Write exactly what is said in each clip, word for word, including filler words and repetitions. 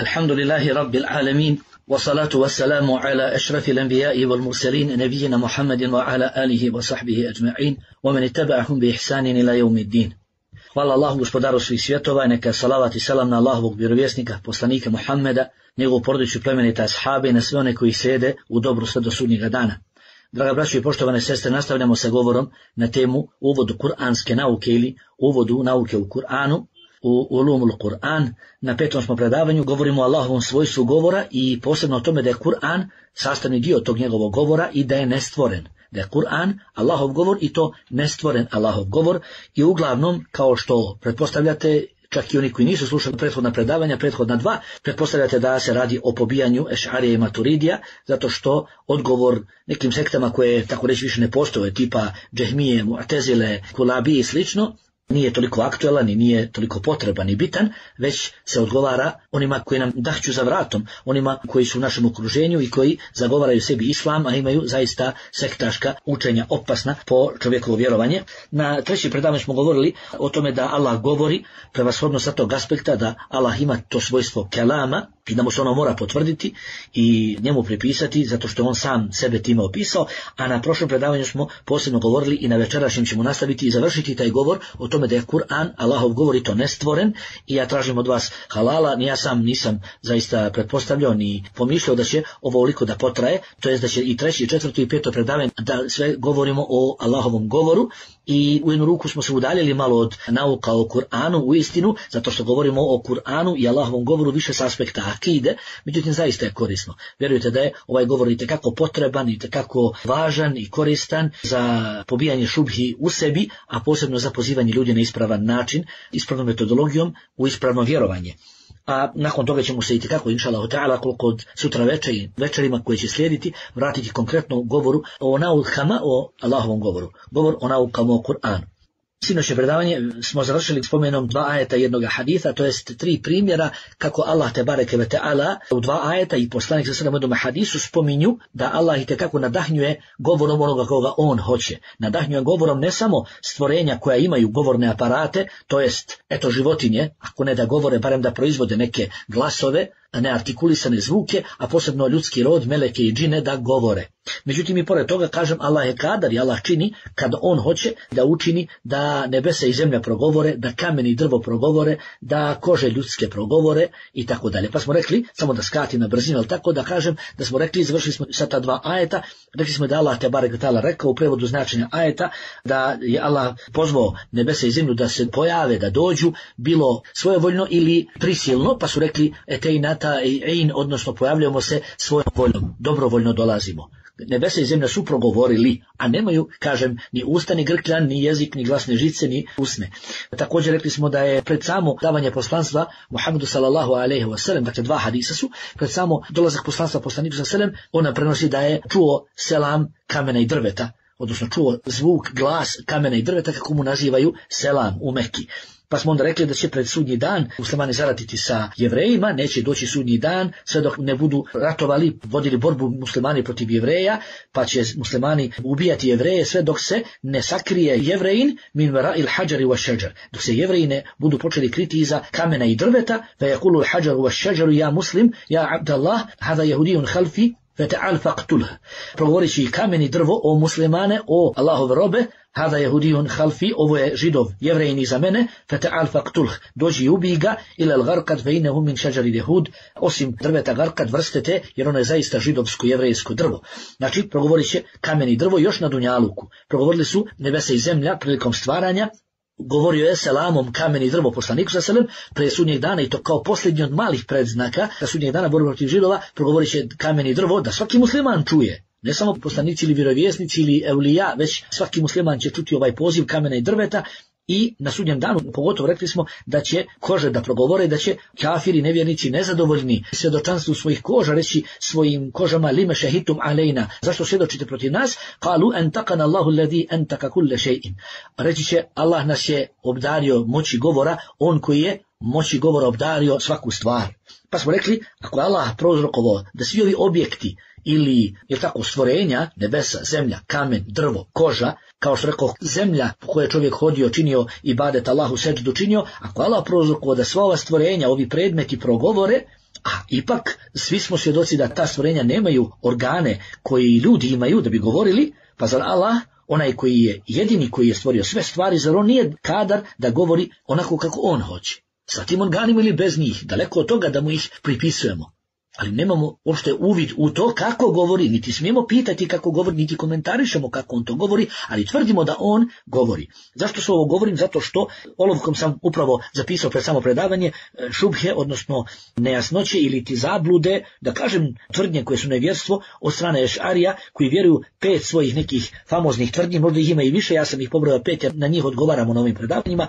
Alhamdulillahi Rabbil Alamin, wa salatu wa salamu ala ašrafil anbiya'i wal mursalin, nabijina Muhammadin wa ala alihi wa sahbihi ajma'in, wa man ittaba'ahum bi ihsanin ila yawmiddin. Hvala Allahu, gospodaru svih svjetova, neka salavat i salam na Allahovog vjerovjesnika, poslanika Muhammeda, njegovu porodicu, plemenite ashabe i na sve one koji slijede u dobru sve do sudnjega dana. Draga braćo i poštovane sestre, nastavljamo sa govorom na temu uvodu kuranske nauke ili uvodu nauke u Kur'anu, u Ulumul Kur'an. Na petom smo predavanju, govorimo o Allahovom svojstvu govora i posebno o tome da je Kur'an sastavni dio tog njegovog govora i da je nestvoren. Da je Kur'an Allahov govor i to nestvoren Allahov govor i uglavnom, kao što pretpostavljate, čak i oni koji nisu slušali prethodna predavanja, prethodna dva, pretpostavljate da se radi o pobijanju Ešarija i Maturidija, zato što odgovor nekim sektama koje tako reći više ne postoje, tipa Džehmije, Mu'tezile, Kulabi i slično, nije toliko aktualan i nije toliko potreban i bitan, već se odgovara onima koji nam dahću za vratom, onima koji su u našem okruženju i koji zagovaraju sebi islam, a imaju zaista sektaška učenja opasna po čovjekovo vjerovanje. Na treći predavanju smo govorili o tome da Allah govori prevashodno sa tog aspekta da Allah ima to svojstvo kelama i da mu se ono mora potvrditi i njemu pripisati zato što on sam sebe time opisao, a na prošlom predavanju smo posebno govorili i na večerašnjem ćemo nastaviti i završiti taj govor o tome da je Kur'an Allahov govor i to nestvoren i ja tražim od vas halala, ni ja sam nisam zaista pretpostavljao ni pomišljao da će ovo ovoliko da potraje, to jest da će i treći, i četvrto i peto predavanje da sve govorimo o Allahovom govoru i u jednu ruku smo se udaljili malo od nauka o Kur'anu u istinu, zato što govorimo o Kur'anu i Allahovom govoru više s aspekta akide, međutim zaista je korisno. Vjerujte da je ovaj govor itekako potreban, itekako važan i koristan za pobijanje šubhi u sebi, a posebno za pozivanje ljudi na ispravan način, ispravnom metodologijom u ispravno vjerovanje. A nakon toga ćemo se itekako, inšallahu ta'ala, koliko od sutra večer i večerima koje će slijediti, vratiti konkretno u govoru o naukama o Allahovom govoru. Govor o naukama o Kur'anu. Sinoćno predavanje smo završili spomenom dva ajeta jednoga haditha, to jest tri primjera kako Allah te bareke ve ta'ala u dva ajeta i poslanik sa sallam jednom hadisu spominju da Allah itekako nadahnjuje govorom onoga koga on hoće. Nadahnjuje govorom ne samo stvorenja koja imaju govorne aparate, to jest eto životinje, ako ne da govore, barem da proizvode neke glasove, neartikulisane zvuke, a posebno ljudski rod, meleke i džine da govore. Međutim i pored toga kažem Allah je kadar i Allah čini kad on hoće da učini da nebesa i zemlja progovore, da kamen i drvo progovore, da kože ljudske progovore i tako dalje. Pa smo rekli, samo da skati na brzinu, ali tako da kažem da smo rekli, završili smo sa ta dva ajeta, rekli smo da Allah te barek ta'ala rekao u prevodu značenja ajeta da je Allah pozvao nebesa i zemlju da se pojave, da dođu, bilo svojevoljno ili prisilno, pa su rekli etejnata i ein, odnosno pojavljamo se svojom voljom, dobrovoljno dolazimo. Nebesa i zemlja su progovorili, a nemaju, kažem, ni usta, ni grkljan, ni jezik, ni glasne žice, ni usne. Također rekli smo da je pred samo davanje poslanstva Muhammedu sallallahu alejhi ve sellem, dakle dva hadisa su, pred samo dolazak poslanstva poslaniku sallallahu alejhi ve sellem, ona prenosi da je čuo selam kamena i drveta, odnosno čuo zvuk, glas kamena i drveta, kako mu nazivaju selam u Mekki. Pa smo onda rekli da će pred sudnji dan muslimani zaratiti sa Jevrejima, neće doći sudnji dan sve dok ne budu ratovali, vodili borbu muslimani protiv Jevreja, pa će muslimani ubijati Jevreje sve dok se ne sakrije Jevrejin min vara'il hađari wa šeđar. Dok se Jevreji ne budu počeli kriti iza kamena i drveta, fa yakulu al-hađaru wa šeđaru ja muslim, ja abdallah, hada jehudijun halfi, fata'al faqtulh. Progovorit će i kamen i drvo o muslimane, o Allahove robe, hada jehudijun halfi, ovo je židov, Jevrejin iza mene, fata'al faqtulh, dođi i ubij ga, ila al-garkad fe innehu min šeđari jehud, osim drveta garkad vrste te, jer ono je zaista židovsko, jevrejsko drvo. Znači, progovorit će kamen i drvo još na dunjaluku. Progovorili su nebesa i zemlja prilikom stvaranja, govorio je selamom kamen i drvo poslaniku sallallahu alejhi ve sellem prije sudnjeg dana i to kao posljednji od malih predznaka da sudnjeg dana borbe protiv židova progovorit će kamen i drvo da svaki musliman čuje. Ne samo poslanici ili vjerovjesnici ili evlija, već svaki musliman će čuti ovaj poziv kamena i drveta i na sudnjem danu pogotovo rekli smo da će kože da progovore, da će kafiri, nevjernici, nezadovoljni svjedočanstvu svojih koža reći svojim kožama lime šehitum alejna, zašto svjedočite protiv nas? Kalu entakana Allahu alladhi entaka kulle še'in. Reći će Allah nas je obdario moći govora, on koji je moći govora obdario svaku stvar. Pa smo rekli, ako je Allah prouzrokovao da svi ovi objekti ili je tako stvorenja, nebesa, zemlja, kamen, drvo, koža, kao što rekao, zemlja po kojoj je čovjek hodio, činio ibadet Allahu seđdu činio, ako Allah prouzrokovao da sva ova stvorenja, ovi predmeti progovore, A ipak svi smo svjedoci da ta stvorenja nemaju organe koji ljudi imaju da bi govorili, pa zar Allah, onaj koji je jedini koji je stvorio sve stvari, zar on nije kadar da govori onako kako on hoće? Sa tim organima ili bez njih, daleko od toga da mu ih pripisujemo. Ali nemamo uopšte uvid u to kako govori, niti smijemo pitati kako govori, niti komentarišemo kako on to govori, ali tvrdimo da on govori. Zašto se ovo govorim? Zato što olovkom sam upravo zapisao pred samo predavanje šubhe, odnosno nejasnoće ili ti zablude, da kažem tvrdnje koje su nevjerstvo od strane Ešarija, koji vjeruju pet svojih nekih famoznih tvrdnji, možda ih ima i više, ja sam ih pobrojao pet jer na njih odgovaramo na ovim predavanjima.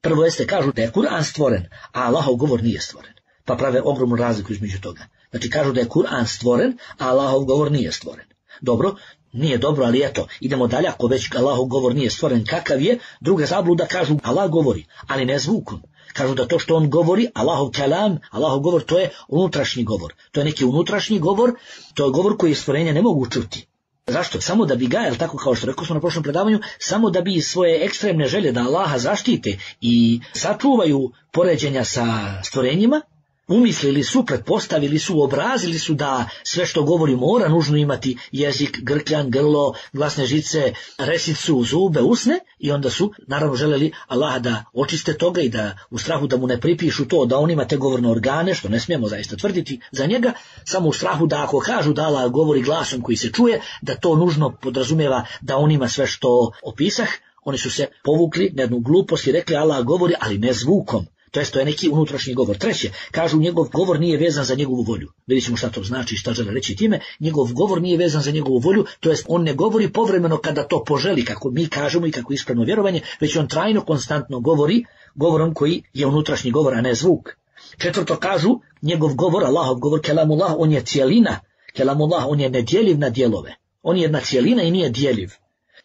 Prvo jeste kažu da je Kur'an stvoren, a Allahov govor nije stvoren. Pa prave ogromnu razliku između toga. Znači kažu da je Kur'an stvoren, a Allahov govor nije stvoren. Dobro, nije dobro, ali eto, idemo dalje, ako već Allahov govor nije stvoren, kakav je? Druga zabluda, kažu Allah govori, ali ne zvukom. Kažu da to što on govori, Allahov kalam, Allahov govor, to je unutrašnji govor. To je neki unutrašnji govor, to je govor koji stvorenja ne mogu čuti. Zašto? Samo da bi ga, jel tako kao što rekao smo na prošlom predavanju, samo da bi svoje ekstremne želje da Allaha zaštite i sačuvaju poređenja sa stvorenjima, umislili su, pretpostavili su, obrazili su da sve što govori mora nužno imati jezik, grkljan, grlo, glasne žice, resicu, zube, usne, i onda su naravno želeli Allaha da očiste toga i da u strahu da mu ne pripišu to da on ima te govorne organe, što ne smijemo zaista tvrditi za njega, samo u strahu da ako kažu da Allah govori glasom koji se čuje, da to nužno podrazumijeva da on ima sve što opisah. Oni su se povukli na jednu glupost i rekli Allah govori, ali ne zvukom. To jest, to je neki unutrašnji govor. Treće, kažu njegov govor nije vezan za njegovu volju. Vidjet ćemo šta to znači, šta žele reći time. Njegov govor nije vezan za njegovu volju, to jest on ne govori povremeno kada to poželi, kako mi kažemo i kako ispravno vjerovanje, već on trajno, konstantno govori govorom koji je unutrašnji govor, a ne zvuk. Četvrto, kažu njegov govor, Allahov govor, kelamullah, on je cijelina. Kelamullah, on je nedjeljiv na dijelove. On je jedna cijelina i nije djeljiv.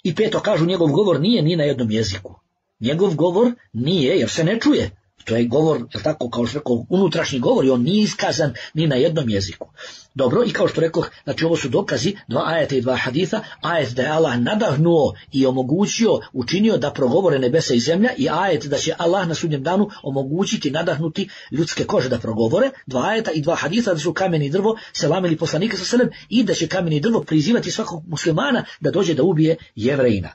I peto, kažu njegov govor nije ni na jednom jeziku. Njegov govor nije, jer se ne čuje. To je govor, je tako, kao što rekao, unutrašnji govor i on nije iskazan ni na jednom jeziku. Dobro, i kao što rekao, znači ovo su dokazi, dva ajeta i dva haditha, ajet da je Allah nadahnuo i omogućio, učinio da progovore nebesa i zemlja, i ajet da će Allah na sudnjem danu omogućiti, nadahnuti ljudske kože da progovore, dva ajeta i dva haditha da su kamen i drvo selamili poslanika sa selem i da će kamen i drvo prizivati svakog muslimana da dođe da ubije Jevrejina.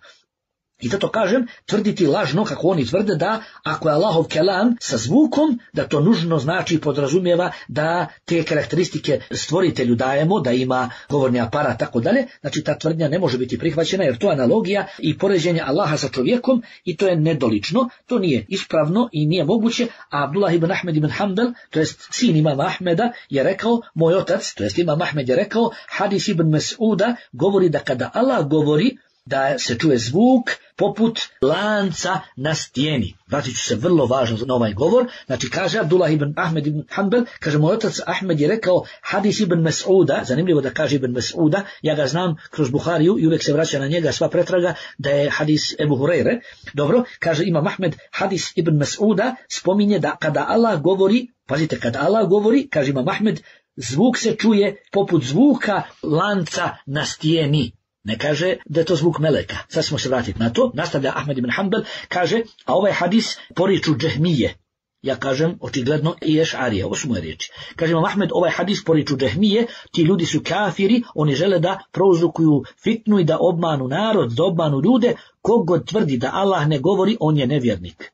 I zato kažem, tvrditi lažno, kako oni tvrde, da ako je Allahov kelam sa zvukom, da to nužno znači i podrazumijeva da te karakteristike stvoritelju dajemo, da ima govorni aparat, tako dalje. Znači ta tvrdnja ne može biti prihvaćena jer to je analogija i poređenje Allaha sa čovjekom i to je nedolično, to nije ispravno i nije moguće. A Abdullah ibn Ahmed ibn Hanbel, to jest sin imama Ahmeda, je rekao, moj otac, to jest imam Ahmed je rekao, hadis ibn Mes'uda govori da kada Allah govori, da se čuje zvuk poput lanca na stijeni. Vratit ću se vrlo važno na ovaj govor. Znači kaže Abdullah ibn Ahmed ibn Hanbel, kaže moj otac Ahmed je rekao hadis ibn Mes'uda, zanimljivo da kaže ibn Mes'uda, ja ga znam kroz Buhariju i uvijek se vraća na njega sva pretraga da je hadis Ebu Hurajre. Dobro, kaže imam Ahmed, hadis ibn Mes'uda spominje da kada Allah govori, pazite, kada Allah govori, kaže imam Ahmed, zvuk se čuje poput zvuka lanca na stijeni. Ne kaže da je to zvuk meleka. Sad smo se vratiti na to. Nastavlja Ahmed ibn Hanbel, kaže, a ovaj hadis poriču džehmije. Ja kažem, očigledno i Ešarije, ovo su moje riječi. Kaže imam Ahmed, ovaj hadis poriču džehmije, ti ljudi su kafiri, oni žele da prouzrokuju fitnu i da obmanu narod, da obmanu ljude, kogod tvrdi da Allah ne govori, on je nevjernik.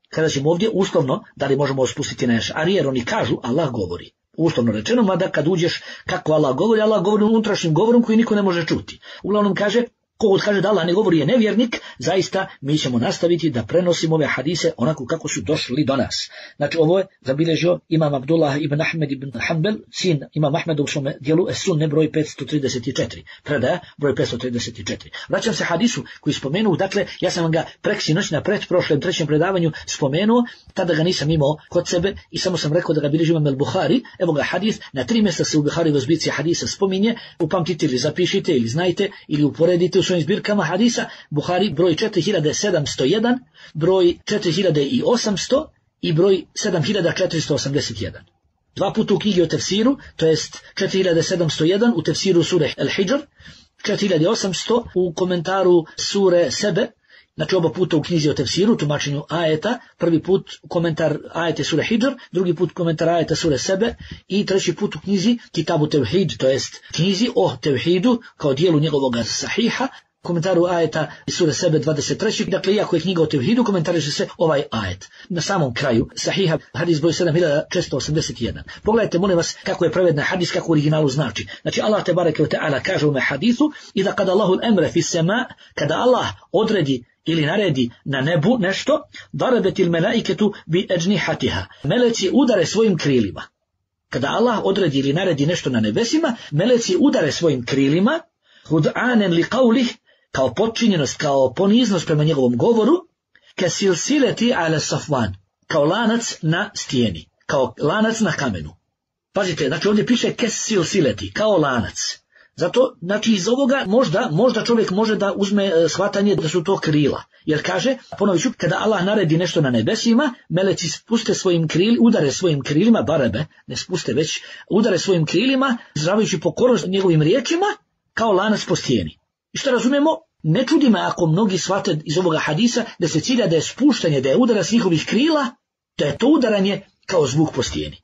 Kada ćemo ovdje uslovno, da li možemo spustiti na Ešarije, jer oni kažu Allah govori. Uslovno rečeno, mada kad uđeš kako Allah govori, Allah govori unutrašnjim govorom koji niko ne može čuti. Uglavnom kaže, kogod kaže da Allah ne govori je nevjernik, zaista mi ćemo nastaviti da prenosimo ove hadise onako kako su došli do nas. Znači ovo je zabilježio imam Abdullah ibn Ahmed ibn Hanbel, sin imam Ahmeda u svome dijelu Es-Sunne broj petsto trideset četiri, predaja broj petsto trideset četiri. Vraćam se hadisu koji spomenuo, dakle ja sam vam ga preksinoć na pretprošlem trećem predavanju spomenuo, tada ga nisam imao kod sebe i samo sam rekao da ga bilježi imam el-Buhari. Evo ga hadis, na tri mjesta se u Buhari u zbirci hadisa spominje, upamtite ili zapišite ili znajte ili uporedite u svojim zbirkama hadisa. Buhari broj četiri hiljade sedamsto jedan, broj četiri hiljade osamsto i broj sedam hiljada četiristo osamdeset jedan. Dva puta u knjigi o tefsiru, to jest četiri hiljade sedamsto jedan u tefsiru sure El-Hidžr, četiri hiljade osamsto u komentaru sure Sebe Znači oba puta u knjizi o tefsiru, tumačenju ajeta, prvi put komentar ajete sure Hidžr, drugi put komentar ajeta sure Sebe i treći put u knjizi Kitabu Tevhid, to jest knjizi o tevhidu kao dijelu njegovog sahiha, komentaru ajeta sure Sebe dvadeset tri. Dakle, iako je knjiga o tevhidu, komentariše se ovaj ajet. Na samom kraju sahiha hadis broj sedam hiljada četiristo osamdeset jedan. Pogledajte, molim vas, kako je prevedena hadis, kako u originalu znači. Znači, Allah te bareke ve ta'ala kaže u me hadisu, idha kada Allahu al-amra fi sama, kada Allah odredi ili naredi na nebu nešto, darabetil melaiketu bi ejnihatiha. Meleci udare svojim krilima. Kada Allah odredi ili naredi nešto na nebesima, meleci udare svojim krilima, hud'anen li qawlih, kao potčinjenost, kao poniznost prema njegovom govoru, ka silsileti ala safvan, kao lanac na stijeni, kao lanac na kamenu. Pazite, znači ovdje piše ka silsileti, kao lanac. Zato, znači iz ovoga možda, možda čovjek može da uzme e, shvatanje da su to krila. Jer kaže, ponovit ću, kada Allah naredi nešto na nebesima, meleci spuste svojim krilima, udare svojim krilima, barebe, ne spuste već, udare svojim krilima, izražavajući pokornost njegovim riječima, kao lanac po stijeni. I što razumijemo? Ne čudi me ako mnogi shvate iz ovoga hadisa da se cilja da je spuštanje, da je udarac njihovih krila, da je to udaranje kao zvuk po stijeni.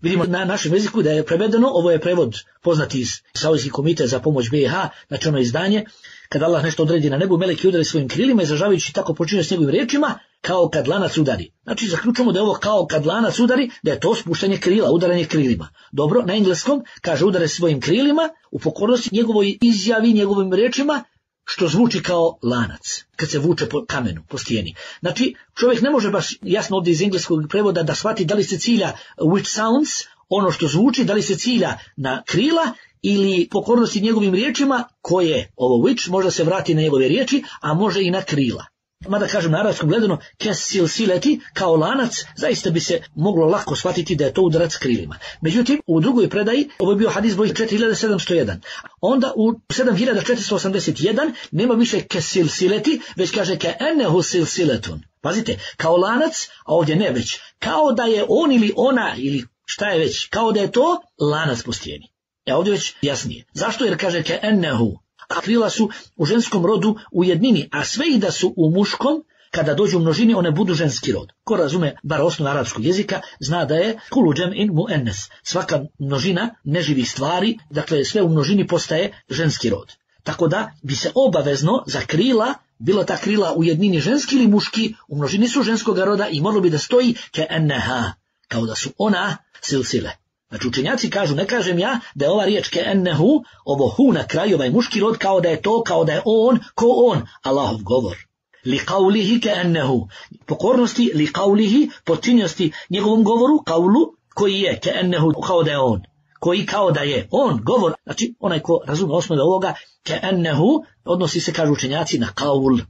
Vidimo na našem jeziku da je prevedeno, ovo je prevod poznati iz Saudijski komitet za pomoć B i H, znači ono izdanje, kada Allah nešto odredi na nebu, meleki udari svojim krilima, izražavajući tako počinje s njegovim riječima, kao kad lanac udari. Znači zaključujemo da je ovo kao kad lanac udari, da je to spuštanje krila, udaranje krilima. Dobro, na engleskom kaže udare svojim krilima, u pokornosti njegovoj izjavi, njegovim riječima, što zvuči kao lanac, kad se vuče po kamenu, po stijeni. Znači, čovjek ne može baš jasno ovdje iz engleskog prevoda da shvati da li se cilja which sounds, ono što zvuči, da li se cilja na krila ili pokornosti njegovim riječima, koje ovo which možda se vrati na njegove riječi, a može i na krila. Mada kažem na arapskom gledano, kes silsileti, kao lanac, zaista bi se moglo lako shvatiti da je to udarac krilima. Međutim, u drugoj predaji, ovo je bio hadis broj četiri hiljade sedamsto jedan, onda u sedam hiljada četiristo osamdeset jedan nema više kes silsileti, već kaže ke ennehu silsiletun. Pazite, kao lanac, a ovdje ne već, kao da je on ili ona, ili šta je već, kao da je to lanac po stijeni. E ovdje već jasnije. Zašto? Jer kaže ke ennehu. A krila su u ženskom rodu u jednini, a sve i da su u muškom, kada dođu u množini, one budu ženski rod. Ko razume bar osnovu arapskog jezika, zna da je kulu džem'in muennes. Svaka množina neživih stvari, dakle sve u množini postaje ženski rod. Tako da bi se obavezno za krila, bilo ta krila u jednini ženski ili muški, u množini su ženskog roda i moralo bi da stoji ke enneha, kao da su ona silsile. Znači učenjaci kažu, ne kažem ja da je ova riječ ke ennehu, ovo hu na kraju, ovaj muški rod, kao da je to, kao da je on, ko on, Allahov govor. Li qawlihi ke ennehu, pokornosti, li qawlihi, počinnosti njegovom govoru, qawlu, koji je ke ennehu, kao da je on, koji kao da je on, govor, znači onaj ko razume osnove ovoga, ke ennehu, odnosi se, kažu učenjaci, na qawl.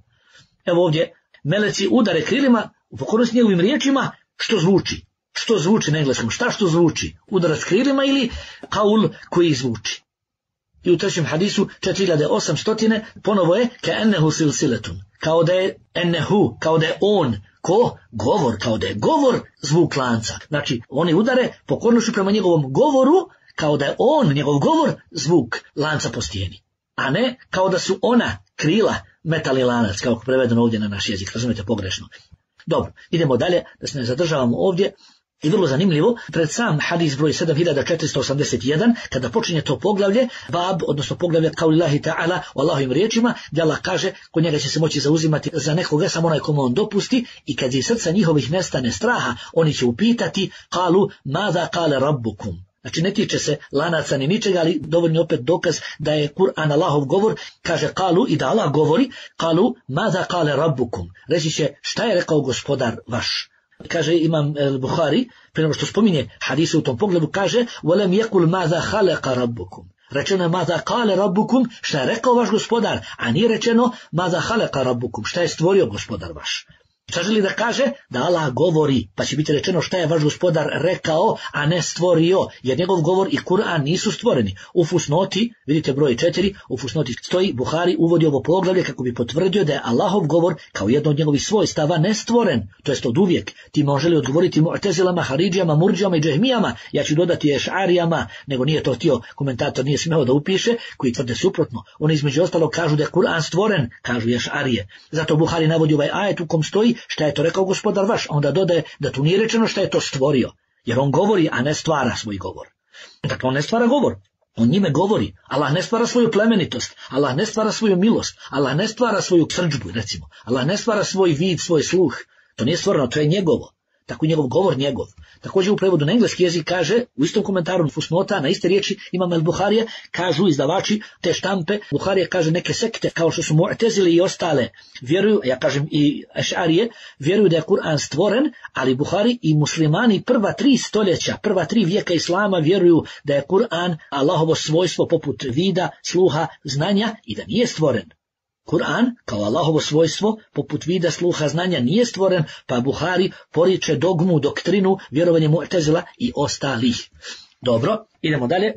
Evo ovdje, meleci udare krilima, u pokornosti njegovim riječima, što zvuči. Što zvuči na engleskom? Šta što zvuči? Udarac krilima ili kaul koji zvuči? I u trećem hadisu četiri hiljade osamsto ponovo je ka ennehu silsiletun. Kao da je ennehu, kao da je on, ko? Govor, kao da je govor zvuk lanca. Znači, oni udare pokornošću prema njegovom govoru, kao da je on, njegov govor, zvuk lanca po stijeni. A ne kao da su ona krila, metalni lanac, kao prevedeno ovdje na naš jezik, razumijete pogrešno. Dobro, idemo dalje, da se ne zadržavamo ovdje. I vrlo zanimljivo, pred sam hadis broj sedam hiljada četiristo osamdeset jedan, kada počinje to poglavlje, bab, odnosno poglavlje kaulillahi ta'ala, o Allahovim riječima, gdje Allah kaže, kod njega će se moći zauzimati za nekoga, samo onaj komu on dopusti, i kad iz srca njihovih nestane straha, oni će upitati, kalu, mada kale rabbukum. Znači ne tiče se lanaca ni ničega, ali dovoljno opet dokaz da je Kur'an Allahov govor, kaže kalu i da Allah govori, kalu, mada kale rabbukum. Reći će, šta je rekao gospodar vaš? Kaže imam Buhari, prije nego što spominje hadise u tom pogledu, kaže وَلَمْ يَقُلْ مَاذَا خَلَقَ رَبُّكُمْ. Rečeno je مَاذَا قَالَ رَبُّكُمْ, šta je rekao vaš gospodar, a nije rečeno مَاذَا خَلَقَ رَبُّكُمْ, šta je stvorio gospodar vaš. Šta želi da kaže? Da Allah govori, pa će biti rečeno šta je vaš gospodar rekao, a ne stvorio, jer njegov govor i Kur'an nisu stvoreni. U fusnoti, vidite broj četiri, u fusnoti stoji, Buhari uvodi ovo poglavlje kako bi potvrdio da je Allahov govor kao jedno od njegovih svojstava nestvoren, to jest od uvijek. Ti moželi odgovoriti Mu'tezilama, Haridžijama, Murdžijama i Džehmijama, ja ću dodati Eš'arijama, nego nije to htio, komentator nije smeo da upiše, koji tvrde suprotno. Oni između ostalog kažu da je Kur'an stvoren, kažu Eš'arije. Zato Buhari navodi ovaj ajet u kom stoji šta je to rekao gospodar vaš, a onda dodaje da tu nije rečeno šta je to stvorio, jer on govori, a ne stvara svoj govor. Dakle, on ne stvara govor, on njime govori. Allah ne stvara svoju plemenitost, Allah ne stvara svoju milost, Allah ne stvara svoju srdžbu, recimo. Allah ne stvara svoj vid, svoj sluh. To nije stvoreno, to je njegovo. Tako njegov govor njegov. Također u prevodu na engleski jezik kaže, u istom komentaru fusnota, na iste riječi Imam el-Buharije, kažu izdavači te štampe, Buharije kaže neke sekte, kao što su Mu'tezili i ostale, vjeruju, ja kažem i Eš'arije, vjeruju da je Kur'an stvoren, ali Buhari i muslimani prva tri stoljeća, prva tri vijeka Islama vjeruju da je Kur'an Allahovo svojstvo poput vida, sluha, znanja i da nije stvoren. Kur'an, kao Allahovo svojstvo, poput vida, sluha, znanja, nije stvoren, pa Buhari poriče dogmu, doktrinu, vjerovanje Mu'tezila i ostalih. Dobro, idemo dalje.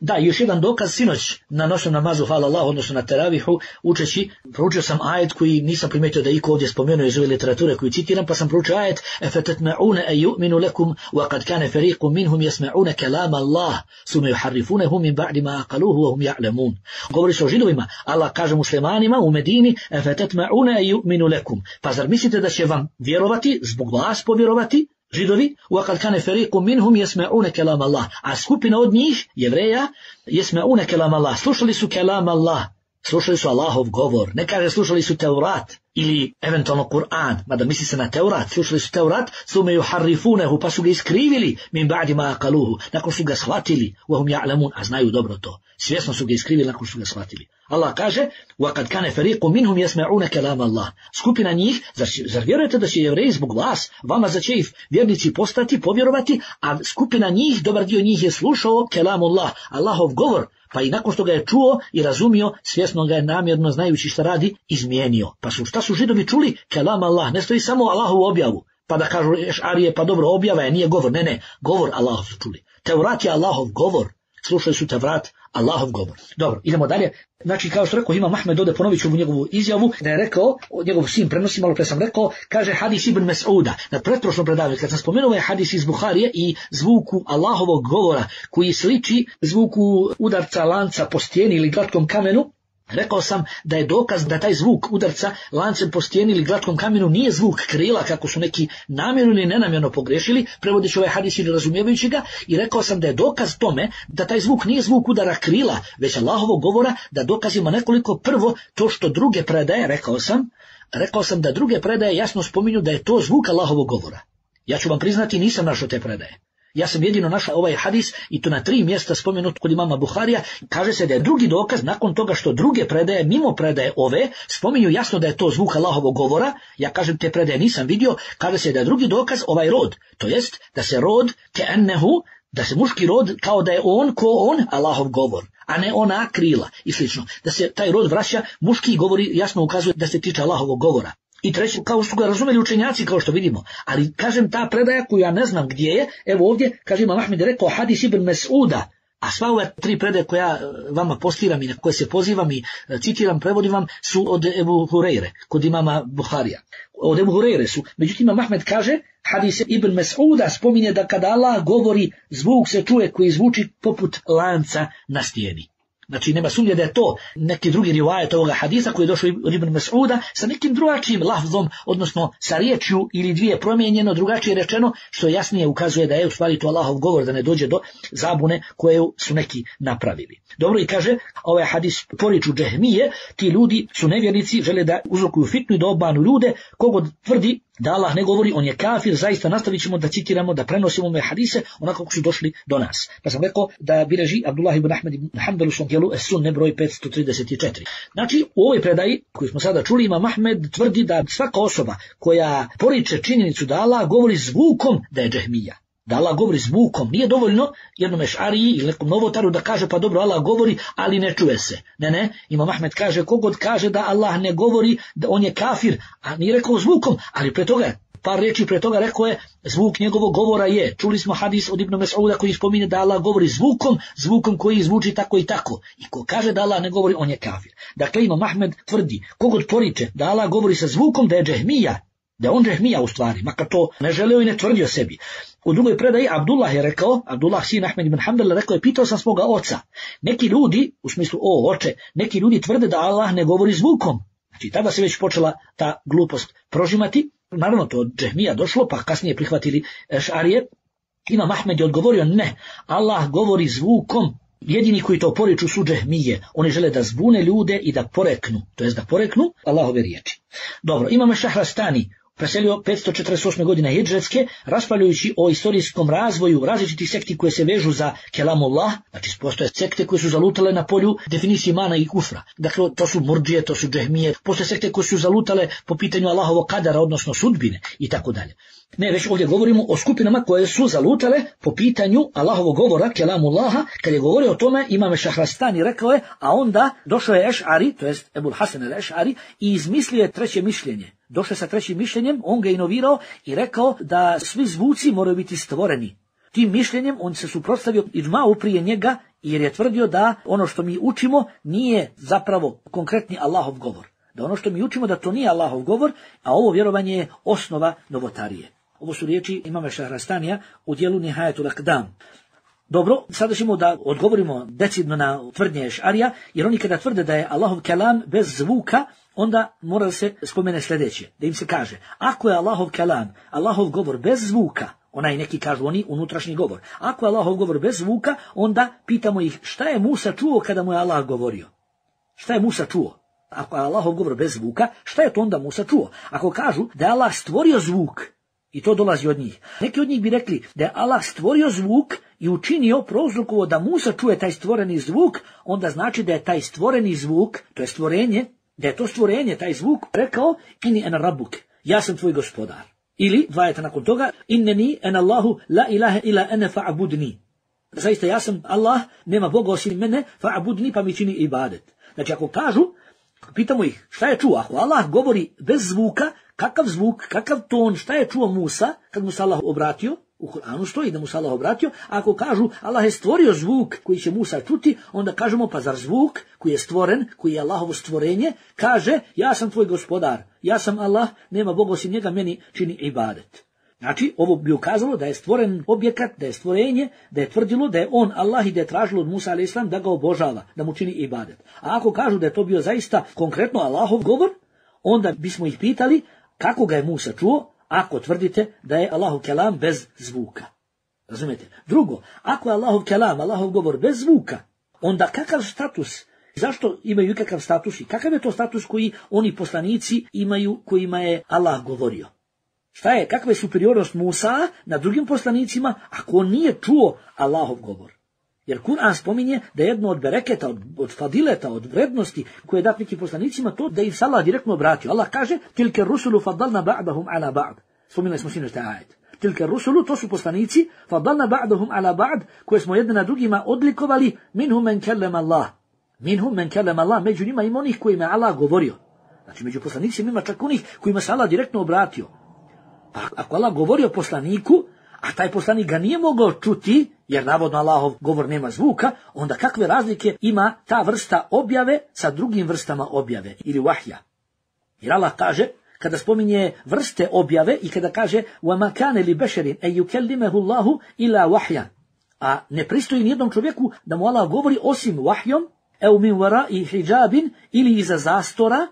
Da, još jedan dokaz, sinoć na noćnom namazu, hvala Allah, odnosno na teravihu, učeći, proučio sam ajet koji nisam primijetio da iko ovdje spomenuo iz ove literature koju citiram, pa sam proučio ajet efatatma'una an yu'minu lakum wa qad kana fariqun minhum yasma'una kalam Allah summa yuharrifunahu min ba'di ma aqaluhu wa hum ya'lamun. Govori se o židovima, Allah kaže muslimanima u Medini efatatma'una an yu'minu lakum. Pa zar mislite da će vam vjerovati, zbog vas povjerovati? Židovi, وَقَدْ كَانَ فَرِيقٌ مِنْهُمْ يَسْمَعُونَ كَلَامَ اللَّهِ, a skupina od njih, jevreja, يَسْمَعُونَ كَلَامَ اللَّهِ, slušali su kelam Allah, slušali su Allahov govor, ne kaže slušali su Teurat ili eventualno Kur'an, mada misli se na Teurat, slušali su Teurat, sume yuharrifunehu, pa su ga iskrivili, min ba'di ma aqaluhu, nakon su ga shvatili, وَهُمْ يَعْلَمُونَ, a znaju dobro to, svjesno su ga iskrivili nakon su ga shvatili. Allah kaže, وَقَدْ كَانَ فَرِيقٌ مِنْهُمْ يَسْمَعُونَ كَلَامَ اللَّهِ, skupina njih, zar, zar vjerujete da će jevreji zbog vas, vama za će ih vjernici postati, povjerovati, a skupina njih, dobar dio njih je slušao kelamullah, Allahov govor, pa i nakon što ga je čuo i razumio, svjesno ga je namjerno, znajući šta radi, izmijenio. Pa su, šta su židovi čuli? Kelam Allah, ne stoji samo Allahovu objavu, pa da kažu Eš'arije, pa dobro, objava je, nije govor, ne, ne, govor Allahov su čuli. Teurat je Allahov govor, slušali su Tevrat, Allahov govor. Dobro, idemo dalje. Znači, kao što rekao Imam Ahmed, ovdje ponovit ću mu njegovu izjavu, da je rekao, njegov sin prenosi, malo pre sam rekao, kaže hadis Ibn Mas'uda, na pretprošlom predavanju, kad sam spomenuo je hadis iz Buharije i zvuku Allahovog govora, koji sliči zvuku udarca lanca po stijeni ili glatkom kamenu, rekao sam da je dokaz da taj zvuk udarca lancem po stijeni ili glatkom kamenu nije zvuk krila, kako su neki namjerno ili nenamjerno pogrešili, prevodeći ovaj hadis ili razumijevajući ga, i rekao sam da je dokaz tome da taj zvuk nije zvuk udara krila, već Allahovog govora, da dokaz ima nekoliko. Prvo, to što druge predaje, rekao sam, rekao sam da druge predaje jasno spominju da je to zvuk Allahovog govora. Ja ću vam priznati, nisam našao te predaje. Ja sam jedino našao ovaj hadis i to na tri mjesta spomenut kod imama Buharija. Kaže se da je drugi dokaz nakon toga što druge predaje, mimo predaje ove, spominju jasno da je to zvuk Allahovog govora. Ja kažem te predaje nisam vidio. Kaže se da je drugi dokaz ovaj rod. To jest da se rod ke'ennehu, da se muški rod kao da je on ko on Allahov govor, a ne ona krila i slično. Da se taj rod vraća, muški govori jasno ukazuje da se tiče Allahovog govora. I treći, kao što ga razumeli učenjaci, kao što vidimo. Ali, kažem, ta predaja koju ja ne znam gdje je, evo ovdje, kaže Imam Ahmed, rekao hadis Ibn Mas'uda, a sva ove tri predaje koje ja vama postiram i na koje se pozivam i citiram, prevodim vam, su od Ebu Hureyre, kod imama Buharija. Od Ebu Hureyre su. Međutim, Imam Ahmed kaže, hadis Ibn Mas'uda spominje da kada Allah govori, zvuk se čuje koji zvuči poput lanca na stijeni. Znači, nema sumnje da je to neki drugi rivajet ovoga hadisa koji je došao od Ibn Mas'uda sa nekim drugačijim lafzom, odnosno sa riječju ili dvije promijenjeno, drugačije rečeno, što jasnije ukazuje da je u stvari to Allahov govor, da ne dođe do zabune koje su neki napravili. Dobro, i kaže, ovaj hadis poriču džehmije, ti ljudi su nevjernici, žele da uzrokuju fitnu i da obmanu ljude, kogod tvrdi da Allah ne govori, on je kafir. Zaista nastavit ćemo da citiramo, da prenosimo ove hadise onako kako su došli do nas. Pa sam rekao da bileži Abdullah ibn Ahmed ibn Hanbal u svom dijelu Es-Sunne broj petsto trideset četiri. Znači, u ovoj predaji koju smo sada čuli, Imam Ahmed tvrdi da svaka osoba koja poriče činjenicu da Allah govori zvukom, da je džehmija. Da Allah govori zvukom, nije dovoljno jednom ešariji ili nekom novotaru da kaže pa dobro Allah govori, ali ne čuje se. Ne, ne, Imam Ahmed kaže kogod kaže da Allah ne govori, da on je kafir, a nije rekao zvukom, ali pre toga, par riječi pre toga rekao je zvuk njegovog govora je. Čuli smo hadis od Ibn Mes'uda koji spominje da Allah govori zvukom, zvukom koji zvuči tako i tako. I ko kaže da Allah ne govori, on je kafir. Dakle, Imam Ahmed tvrdi, kogod poriče da Allah govori sa zvukom, da je džehmija, da je on džehmija u stvari, makar to ne želeo i ne tvrdio sebi. U drugoj predaji Abdullah je rekao, Abdullah sin Ahmed ibn Hanbal rekao je, pitao sam svoga oca. Neki ljudi, u smislu o oče, neki ljudi tvrde da Allah ne govori zvukom. Znači tada se već počela ta glupost prožimati. Naravno to od džehmija došlo, pa kasnije prihvatili šarije. Imam Ahmed je odgovorio, ne, Allah govori zvukom. Jedini koji to poriču su džehmije. Oni žele da zbune ljude i da poreknu, to jest da poreknu Allahove riječi. Dobro, imamo Šahrastani, preselio petsto četrdeset osme godine hidžretske, raspravljajući o istorijskom razvoju različitih sekti koje se vežu za kelamullah, znači postoje sekte koje su zalutale na polju definicije mana i kufra. Dakle, to su murdžije, to su džehmije, postoje sekte koje su zalutale po pitanju Allahovog kadara, odnosno sudbine i tako dalje. Ne, već ovdje govorimo o skupinama koje su zalutale po pitanju Allahovog govora, kelamullaha. Kad je govorio o tome, Imam Šahrastani rekao je, a onda došao je Eš'ari, to jest Ebul Hasan el-Eš'ari, i izmislio je treće mišljenje. Došao sa trećim mišljenjem, on ga inovirao i rekao da svi zvuci moraju biti stvoreni. Tim mišljenjem on se suprotstavio idžma'u prije njega, jer je tvrdio da ono što mi učimo nije zapravo konkretni Allahov govor. Da ono što mi učimo da to nije Allahov govor, a ovo vjerovanje je osnova novotarije. Ovo su riječi imama Šahrastanija u dijelu Nihajetul Akdam. Dobro, sada ćemo da odgovorimo decidno na tvrdnje Eš'arija, jer oni kada tvrde da je Allahov kelam bez zvuka, onda mora da se spomene sljedeće, da im se kaže, ako je Allahov kelam, Allahov govor bez zvuka, onaj neki kažu oni unutrašnji govor, ako je Allahov govor bez zvuka, onda pitamo ih šta je Musa čuo kada mu je Allah govorio? Šta je Musa čuo? Ako je Allahov govor bez zvuka, šta je to onda Musa čuo? Ako kažu da je Allah stvorio zvuk, i to dolazi od njih. Neki od njih bi rekli da je Allah stvorio zvuk i učinio, prouzrokovo da Musa čuje taj stvoreni zvuk, onda znači da je taj stvoreni zvuk, to je stvorenje, da je to stvorenje, taj zvuk, rekao inni ena rabuk, ja sam tvoj gospodar. Ili, dva ajeta nakon toga, inneni en Allahu la ilaha ila ene fa'abudni. Zaista ja sam Allah, nema Boga osim mene, fa'abudni pa mi čini ibadet. Znači ako kažu, pitamo ih šta je čuo, ako Allah govori bez zvuka, kakav zvuk, kakav ton, šta je čuo Musa kad mu se Allah obratio, u Kur'anu stoji da mu se Allah obratio, a ako kažu Allah je stvorio zvuk koji će Musa čuti, onda kažemo pa zar zvuk koji je stvoren, koji je Allahovo stvorenje, kaže ja sam tvoj gospodar, ja sam Allah, nema Boga osim njega, meni čini ibadet. Znači, ovo bi ukazalo da je stvoren objekat, da je stvorenje, da je tvrdilo da je on Allah i da je tražilo od Musa alejhi selam da ga obožava, da mu čini ibadet. A ako kažu da je to bio zaista konkretno Allahov govor, onda bismo ih pitali kako ga je Musa čuo, ako tvrdite da je Allahov kelam bez zvuka. Razumete? Drugo, ako je Allahov kelam, Allahov govor bez zvuka, onda kakav status, zašto imaju ikakav status i kakav je to status koji oni poslanici imaju kojima je Allah govorio? Šta je, kakva je superiornost Musa na drugim poslanicima ako on nije čuo Allahov govor? Jer Kur'an spominje da je jedno od bereketa, od, od fadileta, od vrednosti koje je dat nekim poslanicima to da im se Allah direktno obratio. Allah kaže, tilke rusulu fadalna ba'dahum ala ba'd. Spominjali smo sinoć taj ajet. Tilke rusulu, to su poslanici, fadalna ba'dahum ala ba'd, koje smo jedne na drugima odlikovali, minhum men kellem Allah. Minhum men kellem Allah, među njima ima onih kojima je Allah govorio. Znači među poslanicima ima čak onih kojima se Allah direktno obratio. Pa ako Allah govorio poslaniku, a taj poslanik ga nije mogao čuti, jer navodno Allahov govor nema zvuka, onda kakve razlike ima ta vrsta objave sa drugim vrstama objave ili vahja? Jer Allah kaže, kada spominje vrste objave i kada kaže وَمَا كَانَ لِبَشَرٍ أَن يُكَلِّمَهُ اللَّهُ إِلَّا وَحْيًا, a ne pristoji nijednom čovjeku da mu Allah govori osim vahjom, ev min wara'i hijabin, ili iza zastora,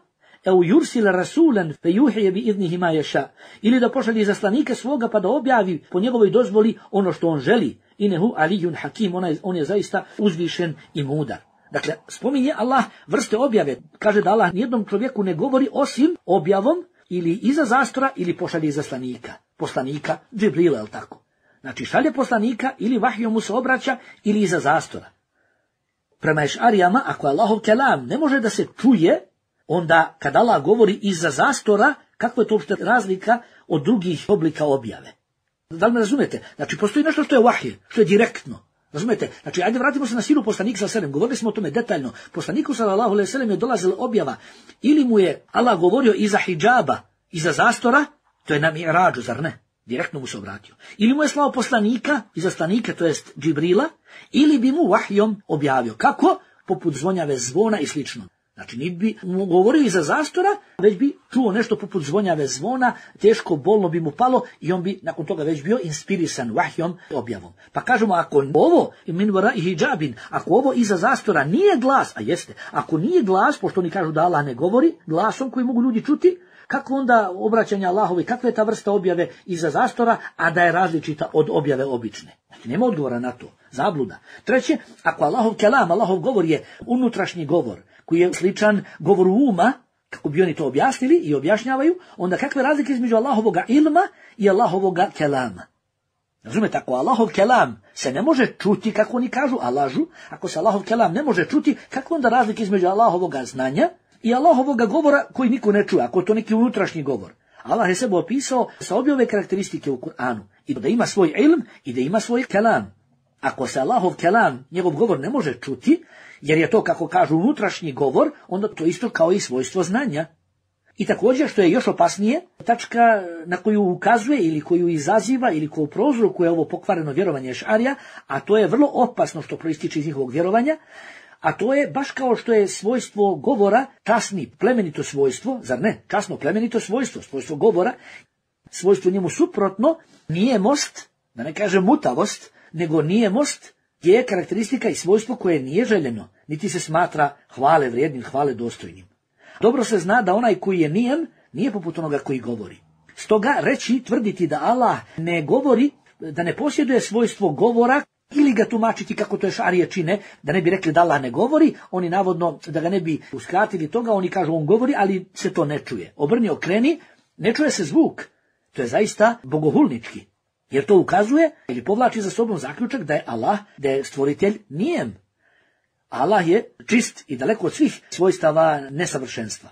ev yursila rasulan fe juhije bi idnihi ma ješa, ili da pošalje zaslanika svoga pa da objavi po njegovoj dozvoli ono što on želi. Inehu alijun hakim, on je, on je zaista uzvišen i mudar. Dakle, spominje Allah vrste objave. Kaže da Allah nijednom čovjeku ne govori osim objavom ili iza zastora ili pošalje zaslanika. Poslanika, Džibrila, je li tako? Znači šalje poslanika ili vahjom mu se obraća ili iza zastora. Prema Eš'arijama, ako je Allahov kelam ne može da se čuje, onda kad Allah govori iza zastora, kakva je to uopšte razlika od drugih oblika objave? Da li me razumete? Znači, postoji nešto što je vahje, što je direktno. Razumete? Znači, ajde vratimo se na silu poslanika sallallahu alejhi ve sellem. Govorili smo o tome detaljno. Poslaniku sallallahu alejhi ve sellem je dolazila objava. Ili mu je Allah govorio iza hidžaba, iza zastora, to je na mi'rađu, zar ne? Direktno mu se obratio. Ili mu je slao poslanika, izaslanika, to jest Džibrila, ili bi mu vahjom objavio. Kako? Poput zvonjave zvona i slično. Znači, niti bi mu govorio iza zastora, već bi čuo nešto poput zvonjave zvona, teško, bolno bi mu palo i on bi nakon toga već bio inspirisan vahjom objavom. Pa kažemo, ako ovo, min wara'i hijabin, ako ovo iza zastora nije glas, a jeste, ako nije glas, pošto oni kažu da Allah ne govori, glasom koji mogu ljudi čuti, kako onda obraćanja Allahovi, kakva je ta vrsta objave iza zastora, a da je različita od objave obične? Znači, nema odgovora na to. Zabluda. Treće, ako Allahov kelam, Allahov govor je unutrašnji govor, koji je sličan govoru uma, kako bi oni to objasnili i objašnjavaju, onda kakve razlike između Allahovoga ilma i Allahovoga kelama? Razumete, ako Allahov kelam se ne može čuti, kako oni kažu, a lažu, ako se Allahov kelam ne može čuti, kako onda razlike između Allahovoga znanja i Allahovoga govora koji niko ne čuje, ako je to neki unutrašnji govor? Allah je sebe opisao sa obje ove karakteristike u Kur'anu, i da ima svoj ilm i da ima svoj kelam. Ako se Allahov kelam, njegov govor ne može čuti, jer je to, kako kažu, unutrašnji govor, onda to isto kao i svojstvo znanja. I također, što je još opasnije, tačka na koju ukazuje ili koju izaziva ili koju prouzrokuje ovo pokvareno vjerovanje Ešarija, a to je vrlo opasno što proističe iz njihovog vjerovanja, a to je baš kao što je svojstvo govora časni, plemenito svojstvo, zar ne? Časno, plemenito svojstvo, svojstvo govora, svojstvo njemu suprotno, nijemost, da ne kažem mutavost, nego nijemost je karakteristika i svojstvo koje nije željeno, niti se smatra hvale vrijednim, hvale dostojnim. Dobro se zna da onaj koji je nijem, nije poput onoga koji govori. Stoga reći, tvrditi da Allah ne govori, da ne posjeduje svojstvo govora, ili ga tumačiti kako to Ešarije čine, da ne bi rekli da Allah ne govori, oni navodno, da ga ne bi uskratili toga, oni kažu on govori, ali se to ne čuje. Obrni, okreni, ne čuje se zvuk. To je zaista bogohulnički. Jer to ukazuje ili povlači za sobom zaključak da je Allah, da je stvoritelj nijem. Allah je čist i daleko od svih svojstava nesavršenstva.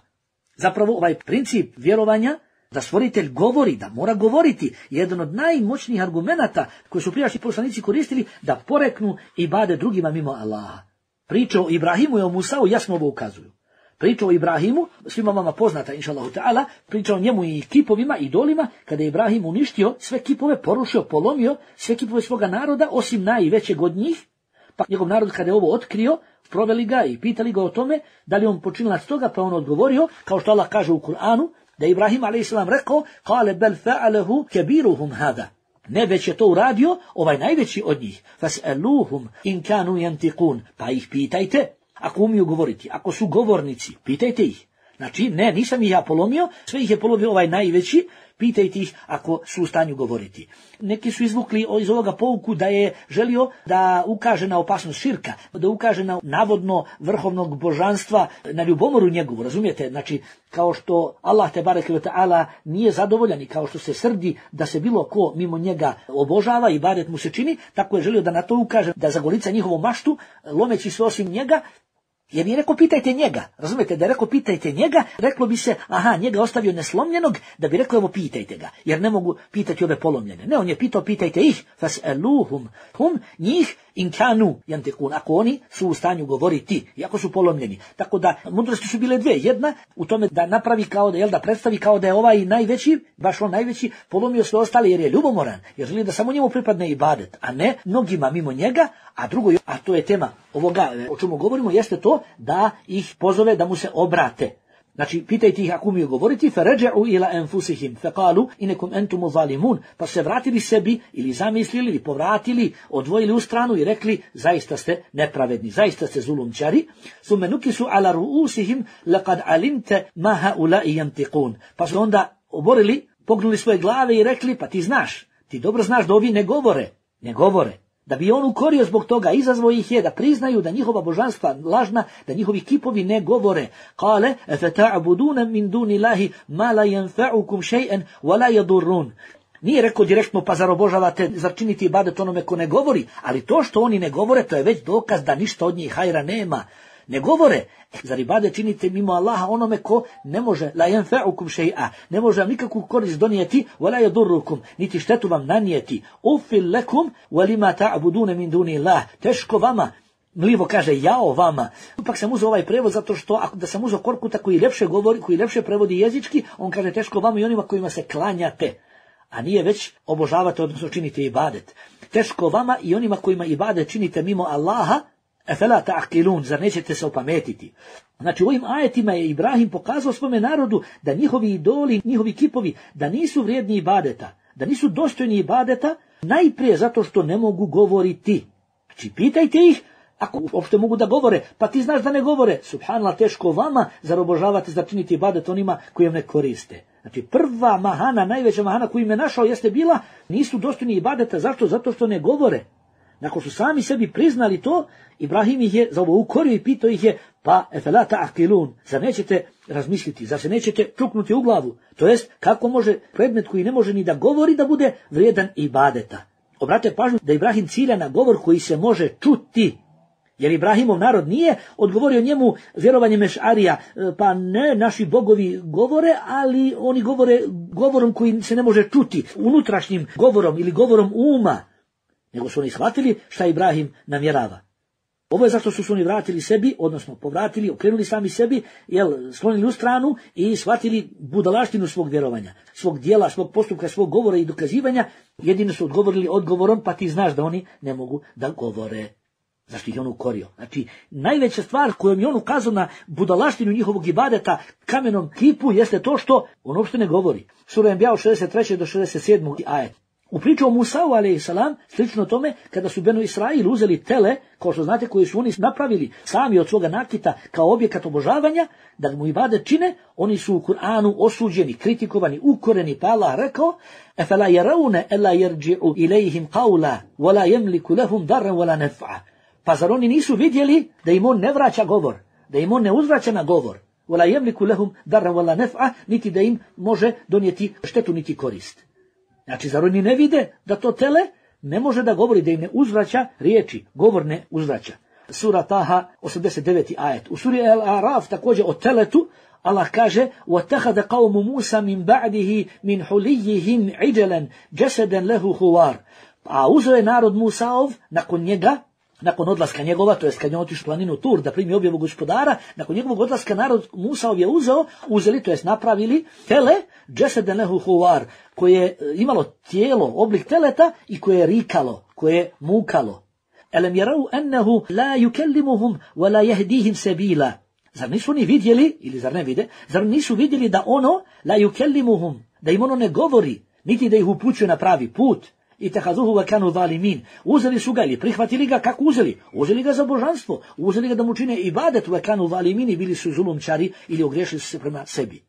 Zapravo ovaj princip vjerovanja da stvoritelj govori, da mora govoriti, je jedan od najmoćnijih argumenata koje su prijašnji poslanici koristili da poreknu ibade drugima mimo Allaha. Priče o Ibrahimu i o Musau jasno ovo ukazuju. Priča o Ibrahimu, svima vama poznata, inša Allahu ta'ala, priča o njemu i kipovima, idolima, kada je Ibrahim uništio sve kipove, porušio, polomio sve kipove svoga naroda, osim najvećeg od njih, pa njegov narod kada je ovo otkrio, proveli ga i pitali ga o tome, da li on počinilac toga, pa on odgovorio, kao što Allah kaže u Kur'anu, da je Ibrahim alejhi selam rekao, kale bel fa'alehu kebiruhum hada. Ne, već je to uradio ovaj najveći od njih. Fas'aluhum in kanu yantiqun. Pa ih pitajte, ako umiju govoriti, ako su govornici, pitajte ih. Znači, ne, nisam ih ja polomio, sve ih je polomio ovaj najveći, pitajte ih ako su u stanju govoriti. Neki su izvukli iz ovoga pouku da je želio da ukaže na opasnost širka, da ukaže na navodno vrhovnog božanstva, na ljubomoru njegovu, razumijete? Znači, kao što Allah te bareke ve taala nije zadovoljan i kao što se srdi da se bilo ko mimo njega obožava i ibadet mu se čini, tako je želio da na to ukaže, da zagolica njihovu maštu, lomeći sve osim njega. Jer je rekao pitajte njega, razumijete, da je rekao pitajte njega, reklo bi se, aha, njega ostavio neslomljenog, da bi rekao evo pitajte ga, jer ne mogu pitati ove polomljene. Ne, on je pitao pitajte ih, fas'aluhum, hum, njih, in kanu yantiqun, ako oni su u stanju govoriti, iako su polomljeni. Tako da, mudrosti su bile dve, jedna u tome da napravi kao da, jel da predstavi kao da je ovaj najveći, baš on najveći, polomio sve ostale jer je ljubomoran, jer želi da samo njemu pripadne ibadet, a ne mnogima mimo njega, a drugo, a to je tema ovoga o čemu govorimo, jeste to da ih pozove da mu se obrate. Znači, pitajte ih ako umiju govoriti, فَرَجَعُوا إِلَا أَنفُسِهِمْ فَقَالُوا إِنَكُمْ أَنْتُمُ ظَالِمُونَ, pa se vratili sebi ili zamislili ili povratili, odvojili u stranu i rekli zaista ste nepravedni, zaista ste zulumčari. ثُمَّ نُكِسُوا عَلَى رُؤُوسِهِمْ لَقَدْ عَلِمْتَ مَا هَؤُلَاءِ يَنْتِقُونَ, pa su onda oborili, pognuli svoje glave i rekli pa ti znaš, ti dobro znaš da ovi ne govore, ne govore. Da bi on ukorio zbog toga, izazvao ih je da priznaju da njihova božanstva lažna, da njihovi kipovi ne govore. Kale, efata'buduna min dunillahi ma la yanfa'ukum shay'an wa la yadurrun. Nije rekao direktno pa zar obožavate, zar činiti ibadet onome ko ne govori, ali to što oni ne govore, to je već dokaz da ništa od njih hajra nema. Ne govore. Zar ibadet činite mimo Allaha onome ko ne može, la yanfa'ukum shay'a, ne može vam nikakvu korist donijeti, wala yadurrukum, niti štetu vam nanijeti. Ufil lakum wa lima ta'buduna min duni Allah. Teško vama. Mlivo kaže jao vama. Ipak sam uzeo ovaj prevod zato što ako da sam uzeo Korkuta koji ljepše govori, koji ljepše prevodi jezički, on kaže teško vama i onima kojima se klanjate. A nije već obožavate, odnosno činite ibadet. Teško vama i onima kojima ibadet činite mimo Allaha, efela ta'qilun, zar nećete se opametiti. Znači u ovim ajetima je Ibrahim pokazao svome narodu da njihovi idoli, njihovi kipovi, da nisu vrijedni ibadeta, da nisu dostojni ibadeta, najprije zato što ne mogu govoriti. Znači pitajte ih, ako uopšte mogu da govore, pa ti znaš da ne govore. Subhanallah, teško vama, zar obožavate, zar činiti ibadet onima kojim ne koriste. Znači prva mahana, najveća mahana koju im je našao jeste bila, nisu dostojni ibadeta. Zašto? Zato što ne govore. Nakon što sami sebi priznali to, Ibrahim ih je za ovo ukorio i pitao ih je, pa efela ta'qilun, zar nećete razmisliti, zar se nećete čuknuti u glavu? To jest, kako može predmet koji ne može ni da govori da bude vrijedan ibadeta? Obratite pažnju da Ibrahim cilja na govor koji se može čuti. Jer Ibrahimov narod nije odgovorio njemu vjerovanjem Ešarija, pa ne, naši bogovi govore, ali oni govore govorom koji se ne može čuti, unutrašnjim govorom ili govorom uma, nego su oni shvatili šta Ibrahim namjerava. Ovo je zašto su se oni vratili sebi, odnosno povratili, okrenuli sami sebi, jel, sklonili u stranu i shvatili budalaštinu svog vjerovanja, svog dijela, svog postupka, svog govora i dokazivanja. Jedino su odgovorili odgovorom, pa ti znaš da oni ne mogu da govore. Zašto ih je on ukorio? Znači, najveća stvar kojom je on ukazao na budalaštinu njihovog ibadeta kamenom kipu jeste to što on uopšte ne govori. Sura Enbija od šezdeset trećeg do šezdeset sedmog ajet. U priču o Musau alejsalam, slično tome, kada su Benu Israil uzeli tele, kao što znate, koji su oni napravili sami od svoga nakita kao objekat obožavanja, da mu ibadet čine, oni su u Kur'anu osuđeni, kritikovani, ukoreni, pa Allah rekao: "Efela yarawna alla yarji'u ilayhim qawla wa la yamliku lahum darran wa la naf'a." Pa zar oni nisu vidjeli da im on ne vraća govor, da im on ne uzvraća na govor, wala yamliku lahum darran wala naf'a, niti da im može donijeti štetu niti korist. Znači, zar oni ne vide da to tele ne može da govori, da im ne uzvraća riječi, govor ne uzvraća. Sura Taha, osamdeset deveti ajet. U suri Al-Araf također o teletu Allah kaže: وَاتَّخَذَ قَوْمُ مُوسَى مِنْ بَعْدِهِ مِنْ حُلِيِّهِمْ عِجَلًا جَسَدًا لَهُ خُوَارٍ. A uzeo je narod Musaov nakon njega, nakon odlaska njegova, to jest kad je otišao u planinu Tur da primi objavu gospodara, nakon njegovog odlaska narod Musaov je uzeo, uzeli, to jest napravili tele, džeseden lehu huvar, koje je imalo tijelo, oblik teleta i koje je rikalo, koje je mukalo. Elem jerau ennehu la yukellimuhum wa la yahdihim sebila. Zar nisu oni vidjeli, ili zar ne vide, zar nisu vidjeli da ono, la yukellimuhum, da im ono ne govori, niti da ih upućuje na pravi put? I tehazuhu wa kanu zalimin. Uzeli su ga ili prihvatili ga, kako uzeli? Uzeli ga za božanstvo, uzeli ga da mu čine ibadet, wa kanu zalimin, i bili su zulumčari ili ogriješili su se prema sebi.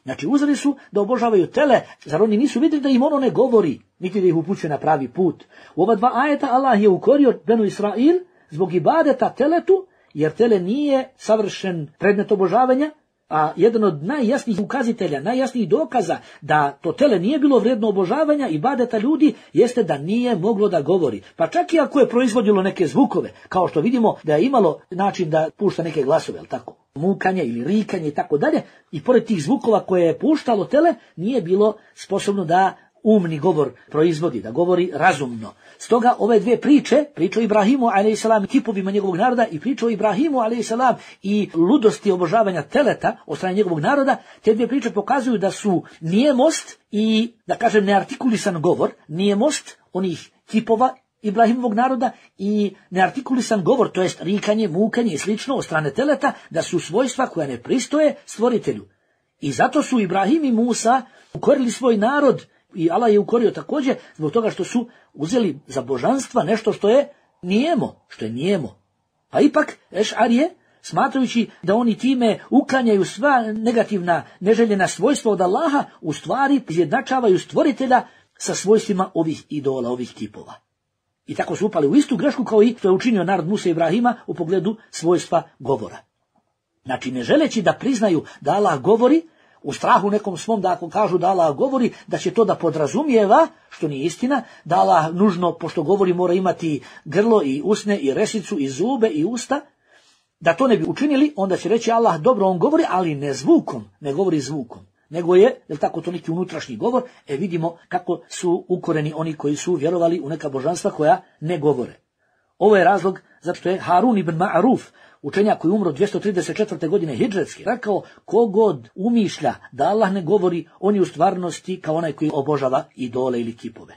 Znači, uzeli su da obožavaju tele, zar oni nisu vidjeli da im ono ne govori, niti da ih upućuje na pravi put? U ova dva ajeta Allah je ukorio Benu Israil zbog ibadeta teletu, jer tele nije savršen predmet obožavanja, a jedan od najjasnijih ukazitelja, najjasnijih dokaza da to tele nije bilo vrijedno obožavanja i ibadeta ljudi jeste da nije moglo da govori. Pa čak i ako je proizvodilo neke zvukove, kao što vidimo da je imalo način da pušta neke glasove, jel tako? Mukanje ili rikanje i tako dalje, i pored tih zvukova koje je puštalo tele, nije bilo sposobno da umni govor proizvodi, da govori razumno. Stoga ove dvije priče, priča o Ibrahimu alejsalam i kipovima njegovog naroda i priča o Ibrahimu alejsalam i ludosti obožavanja teleta od strane njegovog naroda, te dvije priče pokazuju da su nijemost i, da kažem, neartikulisan govor, nijemost onih kipova Ibrahimovog naroda i neartikulisan govor, to jest rikanje, mukanje i slično od strane teleta, da su svojstva koja ne pristoje stvoritelju. I zato su Ibrahim i Musa ukorili svoj narod, i Allah je ukorio također zbog toga što su uzeli za božanstva nešto što je nijemo, što je nijemo. Pa ipak Ešarije, smatrajući da oni time uklanjaju sva negativna, neželjena svojstva od Allaha, u stvari izjednačavaju stvoritelja sa svojstvima ovih idola, ovih kipova. I tako su upali u istu grešku kao i što je učinio narod Musa i Ibrahima u pogledu svojstva govora. Znači, ne želeći da priznaju da Allah govori, u strahu nekom svom da ako kažu da Allah govori, da će to da podrazumijeva, što nije istina, da Allah nužno, pošto govori, mora imati grlo i usne i resicu i zube i usta, da to ne bi učinili, onda će reći Allah, dobro, on govori, ali ne zvukom, ne govori zvukom, nego je, je tako, to neki unutrašnji govor. E vidimo kako su ukoreni oni koji su vjerovali u neka božanstva koja ne govore. Ovo je razlog zato što je Harun ibn Ma'ruf, učenjak koji umro dvjesto trideset četvrte godine hidžretski, rekao, kogod umišlja da Allah ne govori, on je u stvarnosti kao onaj koji obožava idole ili kipove.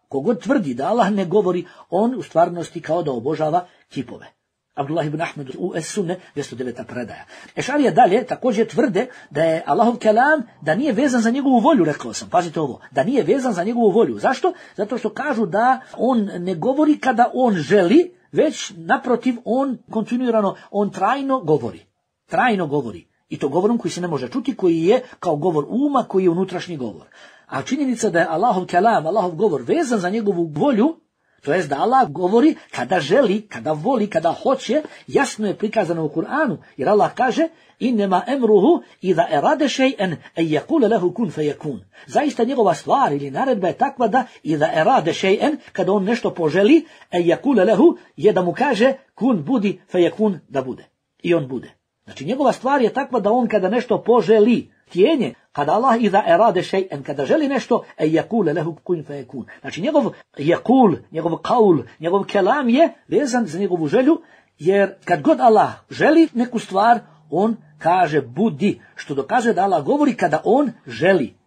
Kogod tvrdi da Allah ne govori, on u stvarnosti kao da obožava kipove. Abdullah ibn Ahmed u Es-Sunne, dvjesto deveta predaja. Ešarija dalje također tvrde da je Allahov kelam, da nije vezan za njegovu volju, rekao sam, pazite ovo, da nije vezan za njegovu volju. Zašto? Zato što kažu da on ne govori kada on želi, već naprotiv on kontinuirano, on trajno govori. Trajno govori. I to govorom koji se ne može čuti, koji je kao govor uma, koji je unutrašnji govor. A činjenica da je Allahov kelam, Allahov govor vezan za njegovu volju, to jest da Allah govori kada želi, kada voli, kada hoće, jasno je prikazano u Kur'anu, jer Allah kaže innema emruhu idha erade shay'an an yaqula lahu kun fayakun. Zaista njegova stvar ili naredba je takva da idha erade shay'an, kada on nešto poželi, an yaqula lahu, je da mu kaže kun budi fayakun, da bude. I on bude. Znači njegova stvar je takva da on kada nešto poželi, htjenje, kada Allah idha erade shay'an, kada želi nešto, an yaqula lahu kun fayakun. Znači njegov yaqul, njegov qaul, njegov kelam je vezan za njegovu želju, jer kad god Allah želi neku stvar, on kaže budi, što dokazuje da Allah govori kada on želi.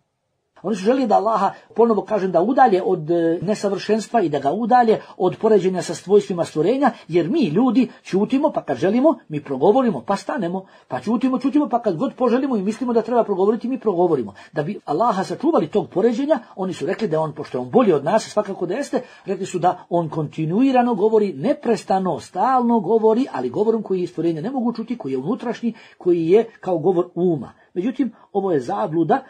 Oni su želi da Allaha, ponovo kažem, da udalje od nesavršenstva i da ga udalje od poređenja sa svojstvima stvorenja, jer mi ljudi ćutimo, pa kad želimo, mi progovorimo, pa stanemo, pa ćutimo, ćutimo, pa kad god poželimo i mislimo da treba progovoriti, mi progovorimo. Da bi Allaha sačuvali tog poređenja, oni su rekli da je on, pošto je on bolji od nas, svakako da jeste, rekli su da on kontinuirano govori, neprestano, stalno govori, ali govorom koji stvorenja ne mogu čuti, koji je unutrašnji, koji je kao govor uma. Međutim, ovo je zabluda.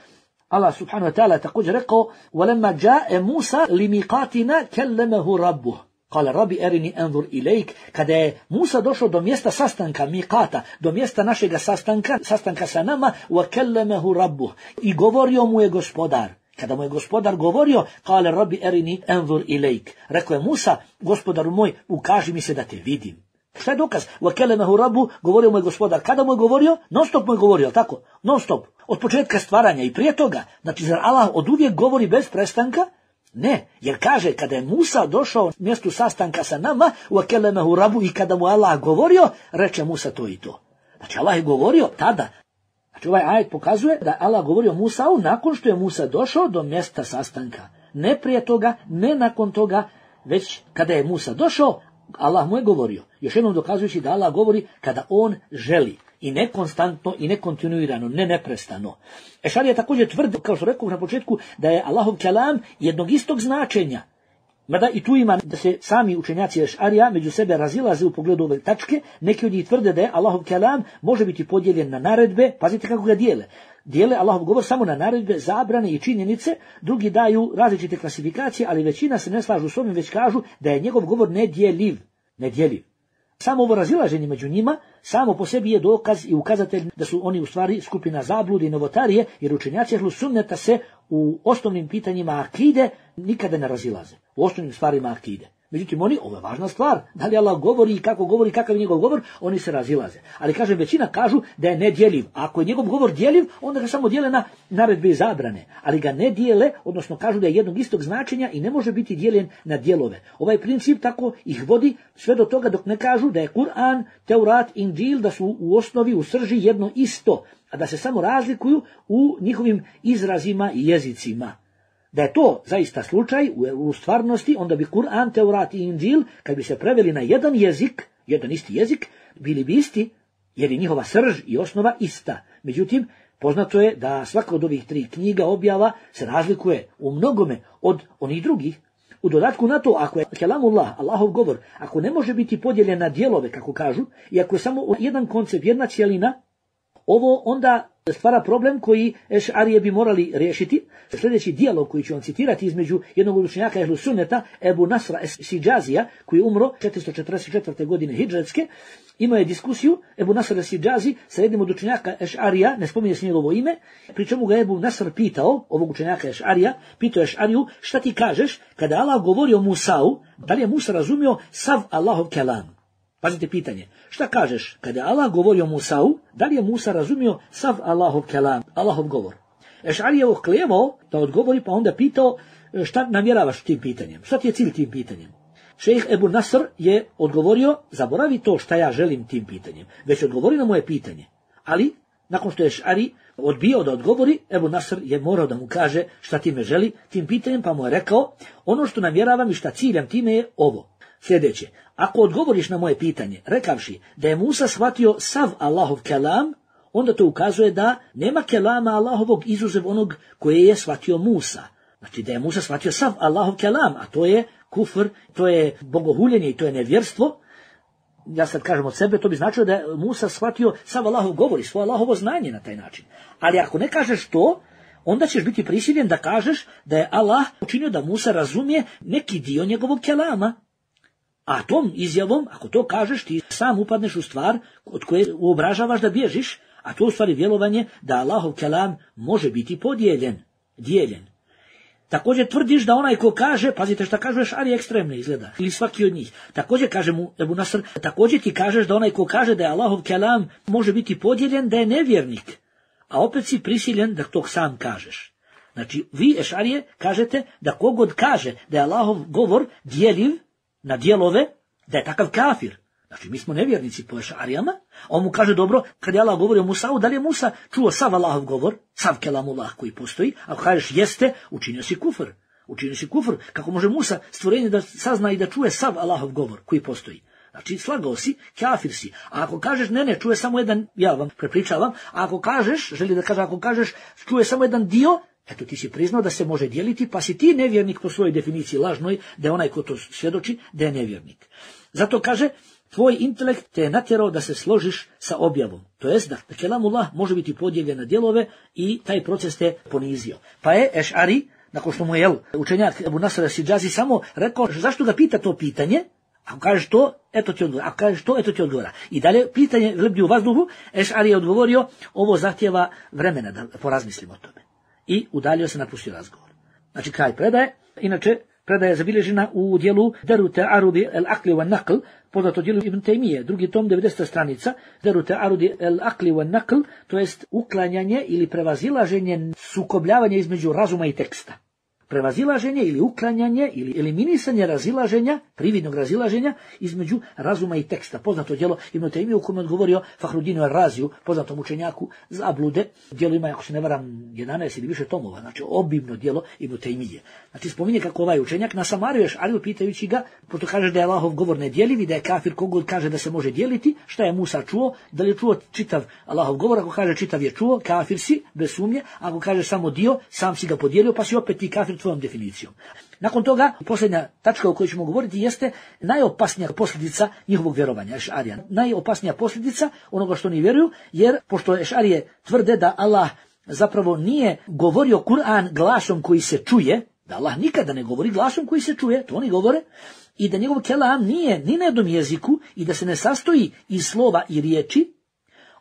Allah subhanahu wa ta'ala također rekao وَلَمَّا جَاءَ مُوسَى لِمِيقَاتِنَا كَلَّمَهُ رَبُّهُ قال ربي أرني أنظر إليك. Kada je Musa došao do mjesta sastanka, miqata, do mjesta našega sastanka, sastanka sa nama, وَكَلَّمَهُ رَبُّهُ, i govorio mu je gospodar. Kada mu je gospodar govorio, قال ربي أرني أنظر إليك, rekao je Musa, gospodaru moj, ukaži mi se da te vidim. Šta je dokaz? وَكَلَّمَهُ رَبُّهُ, govorio mu je gospodar. Kada mu je govorio? Non stop mu je govorio, tako? Non stop. Od početka stvaranja i prije toga. Znači, zar Allah od uvijek govori bez prestanka? Ne, jer kaže, kada je Musa došao mjestu sastanka sa nama, وَكَلَّمَهُ رَبُّهُ, i kada mu Allah govorio, reče Musa to i to. Znači, Allah je govorio tada. Znači, ovaj ajet pokazuje da Allah govorio Musau nakon što je Musa došao do mjesta sastanka. Ne prije toga, ne nakon toga, već kada je Musa došao, Allah mu je govorio. Još jednom dokazujući da Allah govori kada on želi. I ne konstantno, i ne kontinuirano, ne neprestano. Ešarija također tvrdi, kao što rekao na početku, da je Allahov kelam jednog istog značenja. Mada i tu ima da se sami učenjaci Ešarija među sebe razilaze u pogledu ove tačke. Neki od njih tvrde da je Allahov kelam može biti podijeljen na naredbe, pazite kako ga dijele. Dijele Allahov govor samo na naredbe, zabrane i činjenice, drugi daju različite klasifikacije, ali većina se ne slažu s ovim, već kažu da je njegov govor nedjeljiv. Nedjeljiv. Samo ovo razilaženje među njima, samo po sebi je dokaz i ukazatelj da su oni u stvari skupina zablude i novotarije, jer učenjaci ehlu sunneta se u osnovnim pitanjima akide nikada ne razilaze. U osnovnim stvarima akide. Međutim, oni, ovo je važna stvar, da li Allah govori i kako govori, kakav je njegov govor, oni se razilaze. Ali kažem, većina kažu da je nedjeljiv. A ako je njegov govor djeljiv, onda ga samo dijele na naredbe i zabrane. Ali ga ne dijele, odnosno kažu da je jednog istog značenja i ne može biti dijeljen na dijelove. Ovaj princip tako ih vodi sve do toga dok ne kažu da je Kur'an, Teurat, Inđil, da su u osnovi, u srži jedno isto, a da se samo razlikuju u njihovim izrazima i jezicima. Da je to zaista slučaj u, u stvarnosti, onda bi Kur'an, Teurat i Inđil, kad bi se preveli na jedan jezik, jedan isti jezik, bili bi isti, jer je njihova srž i osnova ista. Međutim, poznato je da svaka od ovih tri knjiga objava se razlikuje u mnogome od onih drugih. U dodatku na to, ako je kelamullah, Allahov govor, ako ne može biti podijeljen na dijelove, kako kažu, i ako je samo jedan koncept, jedna cijelina, ovo onda stvara problem koji Ešarije bi morali riješiti. Sljedeći dijalog koji ću vam citirati između jednog od učenjaka ehlu sunneta, Ebu Nasra es-Sidžazija, koji je umro četiristo četrdeset četvrte godine hidžretske, imao je diskusiju Ebu Nasr es-Sidžazi sa jednim od učenjaka Ešarija, ne spominje se njegovo ime, pri čemu ga Ebu Nasr pitao, ovog učenjaka Ešarija, pitao Ešariju, šta ti kažeš kada Allah govori o Musau, da li je Musa razumio sav Allahov kelam? Pazite pitanje. Šta kažeš? Kada Allah govori o Musau, da li je Musa razumio sav Allahov kelam, Allahov govor? Eš'ari je oklevao da odgovori, pa onda pitao šta namjeravaš tim pitanjem? Šta ti je cilj tim pitanjem? Šejh Ebu Nasr je odgovorio, zaboravi to šta ja želim tim pitanjem, već odgovori na moje pitanje. Ali, nakon što je Eš'ari odbio da odgovori, Ebu Nasr je morao da mu kaže šta time želi tim pitanjem, pa mu je rekao, ono što namjeravam i šta ciljam time je ovo. Sljedeće, ako odgovoriš na moje pitanje, rekavši da je Musa shvatio sav Allahov kelam, onda to ukazuje da nema kelama Allahovog izuzev onog koje je shvatio Musa. Znači da je Musa shvatio sav Allahov kelam, a to je kufr, to je bogohuljenje i to je nevjerstvo. Ja sad kažem od sebe, to bi značilo da je Musa shvatio sav Allahov govor i svoje Allahovo znanje na taj način. Ali ako ne kažeš to, onda ćeš biti prisiljen da kažeš da je Allah učinio da Musa razumije neki dio njegovog kelama. A tom izjavom, ako to kažeš, ti sam upadneš u stvar od koje uobražavaš da bježiš, a to u stvari vjerovanje da Allahov kelam može biti podijeljen, dijeljen. Također tvrdiš da onaj ko kaže, pazite šta kažeš, ali ekstremno izgleda, ili svaki od njih. Također kaže mu Ebu Nasr, također ti kažeš da onaj ko kaže da je Allahov kelam može biti podijeljen, da je nevjernik. A opet si prisiljen da to sam kažeš. Znači, vi, Ešarije, kažete da kogod kaže da je Allahov govor dijeliv na dijelove, da je takav kafir. Znači, mi smo nevjernici po Ešarijama, a on mu kaže, dobro, kad je Allah govori o Musau, da li je Musa čuo sav Allahov govor, sav kelamullah koji postoji, ako kažeš jeste, učinio si kufr. Učinio si kufr. Kako može Musa stvorenje da sazna i da čuje sav Allahov govor koji postoji? Znači, slagao si, kafir si. A ako kažeš, ne, ne, čuje samo jedan, ja vam prepričavam, a ako kažeš, želi da kaže, ako kažeš, čuje samo jedan dio, eto ti si priznao da se može dijeliti, pa si ti nevjernik po svojoj definiciji lažnoj, da je onaj ko to svjedoči, da je nevjernik. Zato kaže, tvoj intelekt te je natjerao da se složiš sa objavom. To jest da kelamullah može biti podijeljen na dijelove i taj proces te ponizio. Pa je Eš'ari, nakon što mu je učenjak Ebu Nasr Sidžazi samo rekao, zašto ga pita to pitanje? Ako kažeš to, eto ti odgovora. Ako kažeš to, eto ti odgovora. I dalje pitanje lebdi u vazduhu, Eš'ari je odgovorio, ovo zahtjeva vremena da porazmislimo o tome. I udaljio se, napustio razgovor. Znači kraj predaje, inače predaja je zabilježena u dijelu Deru Ta'arudi el-Akli wa Nakl, poznato dijelu Ibn Taymije, drugi tom, devedeseta stranica, Deru Ta'arudi el-Akli wa Nakl, to jest uklanjanje ili prevazilaženje, sukobljavanje između razuma i teksta. Prevazilaženje ili uklanjanje ili eliminisanje razilaženja, prividnog razilaženja između razuma i teksta. Poznato djelo Ibn Taymije u kome je odgovorio Fahrudinu Ar-Raziju, poznatom učenjaku zablude. Djelo ima, ako se ne varam, jedanaest ili više tomova, znači obimno djelo Ibn Taymije. Znači spominje kako ovaj učenjak nasamario Eš'ariju pitajući ga, pošto kaže da je Allahov govor nedjeliv i da je kafir kogod kaže da se može dijeliti, šta je Musa čuo, da li je čuo čitav Allahov govor, ako kaže čitav je čuo, kafir si, bez sumnje, ako kaže samo dio, sam si ga podijelio, pa si opet ti kafir tvojom definicijom. Nakon toga, posljednja tačka o kojoj ćemo govoriti jeste najopasnija posljedica njihovog vjerovanja, Eš'arija. Najopasnija posljedica onoga što oni vjeruju, jer pošto Eš'arije tvrde da Allah zapravo nije govorio Kur'an glasom koji se čuje, da Allah nikada ne govori glasom koji se čuje, to oni govore, i da njegov kelam nije ni na jednom jeziku i da se ne sastoji iz slova i riječi,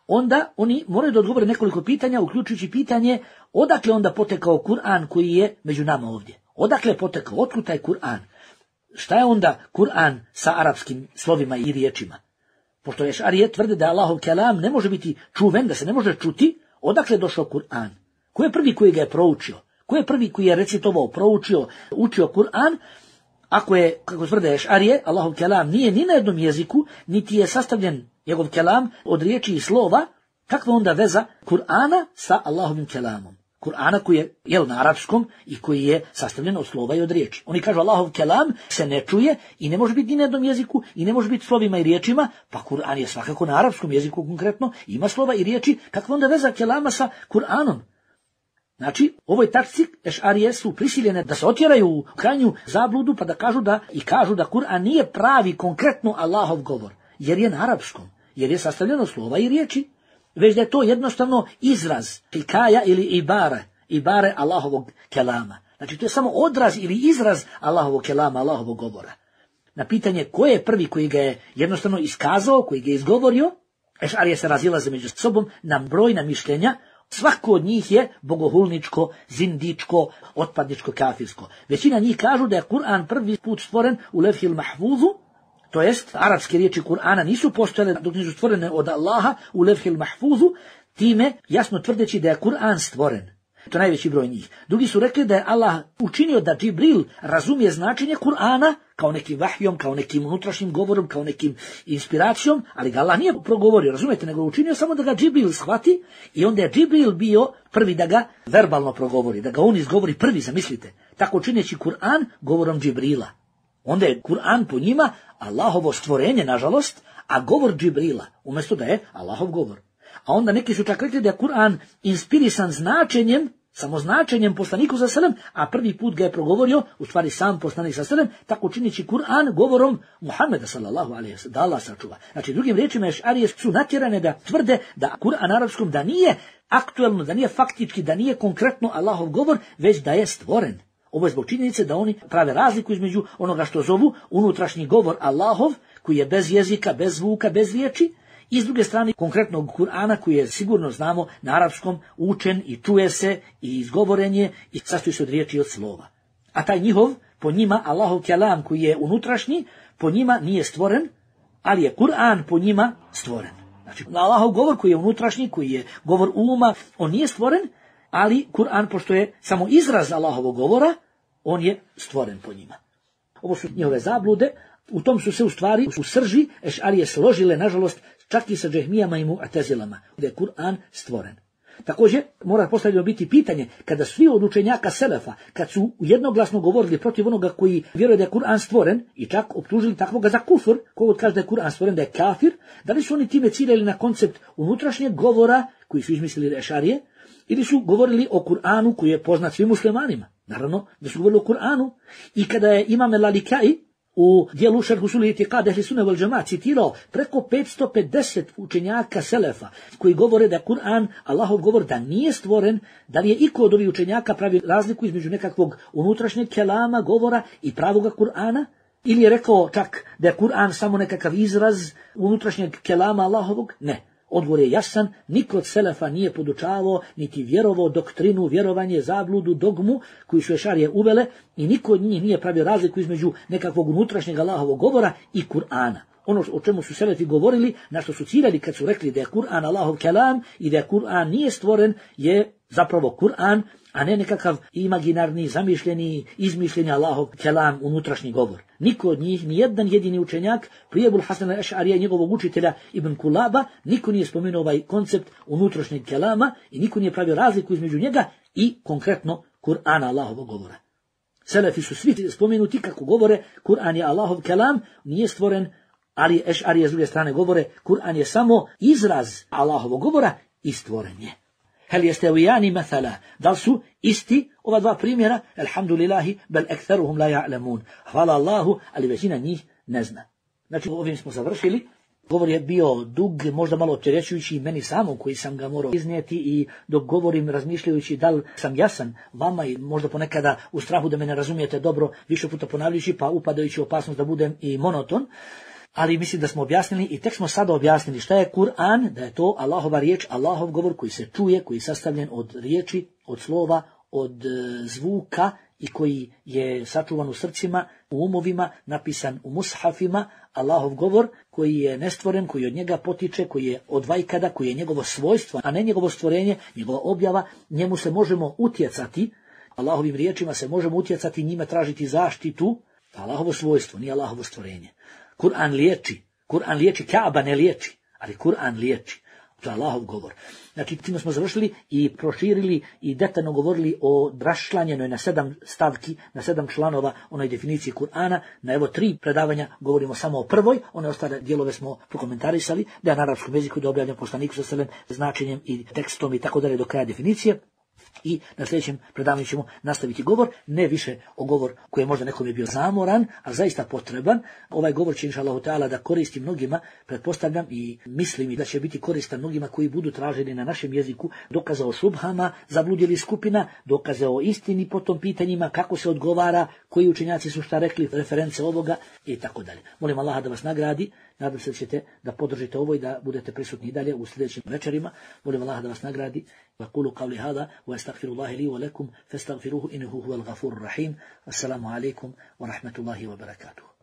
onda oni moraju da odgovore nekoliko pitanja, uključujući pitanje odakle onda potekao Kur'an koji je među nama ovdje. Odakle je potekao, otkud taj Kur'an? Šta je onda Kur'an sa arapskim slovima i riječima? Pošto Eš'arije tvrde da Allahov kelam ne može biti čuven, da se ne može čuti, odakle je došao Kur'an? Ko je prvi koji ga je proučio? Ko je prvi koji je recitovao, proučio, učio Kur'an? Ako je, kako tvrde Eš'arije, Allahov kelam nije ni na jednom jeziku, niti je sastavljen njegov kelam od riječi i slova, kakva onda veza Kur'ana sa Allahovim kelamom? Kur'ana koji je jel, na arapskom i koji je sastavljen od slova i od riječi. Oni kažu Allahov kelam se ne čuje i ne može biti ni na jednom jeziku i ne može biti slovima i riječima, pa Kur'an je svakako na arapskom jeziku konkretno, ima slova i riječi, kakva onda veza kelama sa Kur'anom? Znači, ovoj tačci Eš'arije su prisiljene da se otjeraju u krajnju zabludu pa da kažu da i kažu da Kur'an nije pravi konkretno Allahov govor, jer je na arapskom, jer je sastavljeno slova i riječi, već da je to jednostavno izraz, hikaja ili ibare, ibare Allahovog kelama. Znači, to je samo odraz ili izraz Allahovog kelama, Allahovog govora. Na pitanje ko je prvi koji ga je jednostavno iskazao, koji ga je izgovorio, Eš'arije se razilaze među sobom na brojna mišljenja. Svako od njih je bogohulničko, zindičko, otpadničko, kafirsko. Većina njih kažu da je Kur'an prvi put stvoren u Levhil Mahfuzu, to jest arapske riječi Kur'ana nisu postojale dok nisu stvorene od Allaha u levhil mahfuzu, time jasno tvrdeći da je Kur'an stvoren. To je najveći broj njih. Drugi su rekli da je Allah učinio da Džibril razumije značenje Kur'ana kao nekim vahjom, kao nekim unutrašnjim govorom, kao nekim inspiracijom, ali ga Allah nije progovorio, razumijete, nego učinio samo da ga Džibril shvati i onda je Džibril bio prvi da ga verbalno progovori, da ga on izgovori prvi, zamislite. Tako čineći Kur'an govorom Džibrila. Onda je Kur'an po njima Allahovo stvorenje, nažalost, a govor Džibrila, umjesto da je Allahov govor. A onda neki su čak rekli da je Kur'an inspirisan značenjem, samo značenjem poslaniku sa selem, a prvi put ga je progovorio, u stvari sam poslanik sa selem, tako činići Kur'an govorom Muhammeda sallallahu alejhi ve sellem, da Allah sačuva. Znači, drugim riječima, ešarije su natjerane da tvrde da Kur'an arapskom da nije aktuelno, da nije faktički, da nije konkretno Allahov govor, već da je stvoren. Ovo je zbog činjenice da oni prave razliku između onoga što zovu unutrašnji govor Allahov, koji je bez jezika, bez zvuka, bez riječi, i s druge strane konkretnog Kur'ana koji je sigurno znamo na arapskom učen i čuje se i izgovoren je i sastoji se od riječi i od slova. A taj njihov, po njima Allahov kelam koji je unutrašnji, po njima nije stvoren, ali je Kur'an po njima stvoren. Znači Allahov govor koji je unutrašnji, koji je govor uma, on nije stvoren, ali Kur'an pošto je samo izraz Allahovog govora, on je stvoren po njima. Ovo su njihove zablude, u tom su se u stvari u srži ešarije složile, nažalost, čak i sa džehmijama i mu'tezilama, da je Kur'an stvoren. Također, mora postavljeno biti pitanje, kada svi od učenjaka selefa, kad su jednoglasno govorili protiv onoga koji vjeruje da je Kur'an stvoren, i čak optužili takvoga za kufr, kogod kaže da je Kur'an stvoren, da je kafir, da li su oni time ciljali na koncept unutrašnjeg govora, koji su izmislili ešarije, ili su govorili o Kur'anu koji je poznat svim muslimanima. Naravno, da su govorili o Kur'anu, i kada je Imam el-Lalikai u dijelu Šerh usul i'tiqad ehli sunne vel džemaat citirao preko petsto pedeset učenjaka selefa koji govore da je Kur'an Allahov govor, da nije stvoren, da li je iko od ovih učenjaka pravi razliku između nekakvog unutrašnjeg kelama, govora i pravoga Kur'ana, ili je rekao čak da je Kur'an samo nekakav izraz unutrašnjeg kelama Allahovog? Ne. Odgovor je jasan, niko od selefa nije podučavao, niti vjerovao doktrinu, vjerovanje, zabludu, dogmu, koju su ešarije uvele, i niko od njih nije pravio razliku između nekakvog unutrašnjeg Allahovog govora i Kur'ana. Ono o čemu su selefi govorili, na što su ciljali kad su rekli da je Kur'an Allahov kelam i da je Kur'an nije stvoren, je zapravo Kur'an, a ne nekakav imaginarni, zamišljeni, izmišljeni Allahov kelam, unutrašnji govor. Niko od njih, ni jedan jedini učenjak, prije Ebul Hasana al-Eš'arija i njegovog učitelja Ibn Kulaba, niko nije spomenuo ovaj koncept unutrašnjeg kelama i niko nije pravio razliku između njega i konkretno Kur'ana Allahovog govora. Selefi su svi spomenuti kako govore Kur'an je Allahov kelam, nije stvoren, ali Eš'arije s druge strane govore Kur'an je samo izraz Allahovog govora i stvoren je. Hel jestevijani mathala, da li su isti ova dva primjera? Alhamdulillahi, bel ektheruhum la ja'lamun. Hvala Allahu, ali većina njih ne zna. Znači, ovim smo završili. Govor je bio dug, možda malo opterećujući i meni samom koji sam ga morao iznijeti, i dok govorim razmišljajući da li sam jasan vama i možda ponekada u strahu da me ne razumijete dobro, više puta ponavljajući pa upadajući u opasnost da budem i monoton. Ali mislim da smo objasnili i tek smo sada objasnili šta je Kur'an, da je to Allahova riječ, Allahov govor koji se čuje, koji je sastavljen od riječi, od slova, od e, zvuka i koji je sačuvan u srcima, u umovima, napisan u mushafima, Allahov govor koji je nestvoren, koji od njega potiče, koji je od vajkada, koji je njegovo svojstvo, a ne njegovo stvorenje, njegova objava, njemu se možemo utjecati, Allahovim riječima se možemo utjecati, njima tražiti zaštitu, Allahovo svojstvo, nije Allahovo stvorenje. Kur'an liječi, Kur'an liječi, Kaaba ne liječi, ali Kur'an liječi. To je Allahov govor. Znači, time smo završili i proširili i detaljno govorili o raščlanjenoj na sedam stavki, na sedam članova onoj definiciji Kur'ana. Na evo tri predavanja govorimo samo o prvoj, one ostale dijelove smo prokomentarisali, da je na arapskom jeziku, da je objavljen poslaniku sa selem značenjem i tekstom i tako dalje do kraja definicije. I na sljedećem predavanju ćemo nastaviti govor, ne više o govor koji je možda nekom je bio zamoran, a zaista potreban. Ovaj govor će inšallahu ta'ala da koristi mnogima, pretpostavljam i mislim da će biti koristan mnogima koji budu traženi na našem jeziku dokaze o šubhama, zabludjeli skupina, dokaze o istini po tom pitanjima, kako se odgovara, koji učenjaci su šta rekli, reference ovoga i tako dalje. Molim Allaha da vas nagradi. Nadam se da ćete da podržite ovo i da budete prisutni i dalje u sljedećim večerima. Molim Allaha da vas nagradi. وقولوا قولي هذا واستغفر الله لي ولكم فاستغفروه إنه هو الغفور الرحيم. السلام عليكم ورحمة الله وبركاته.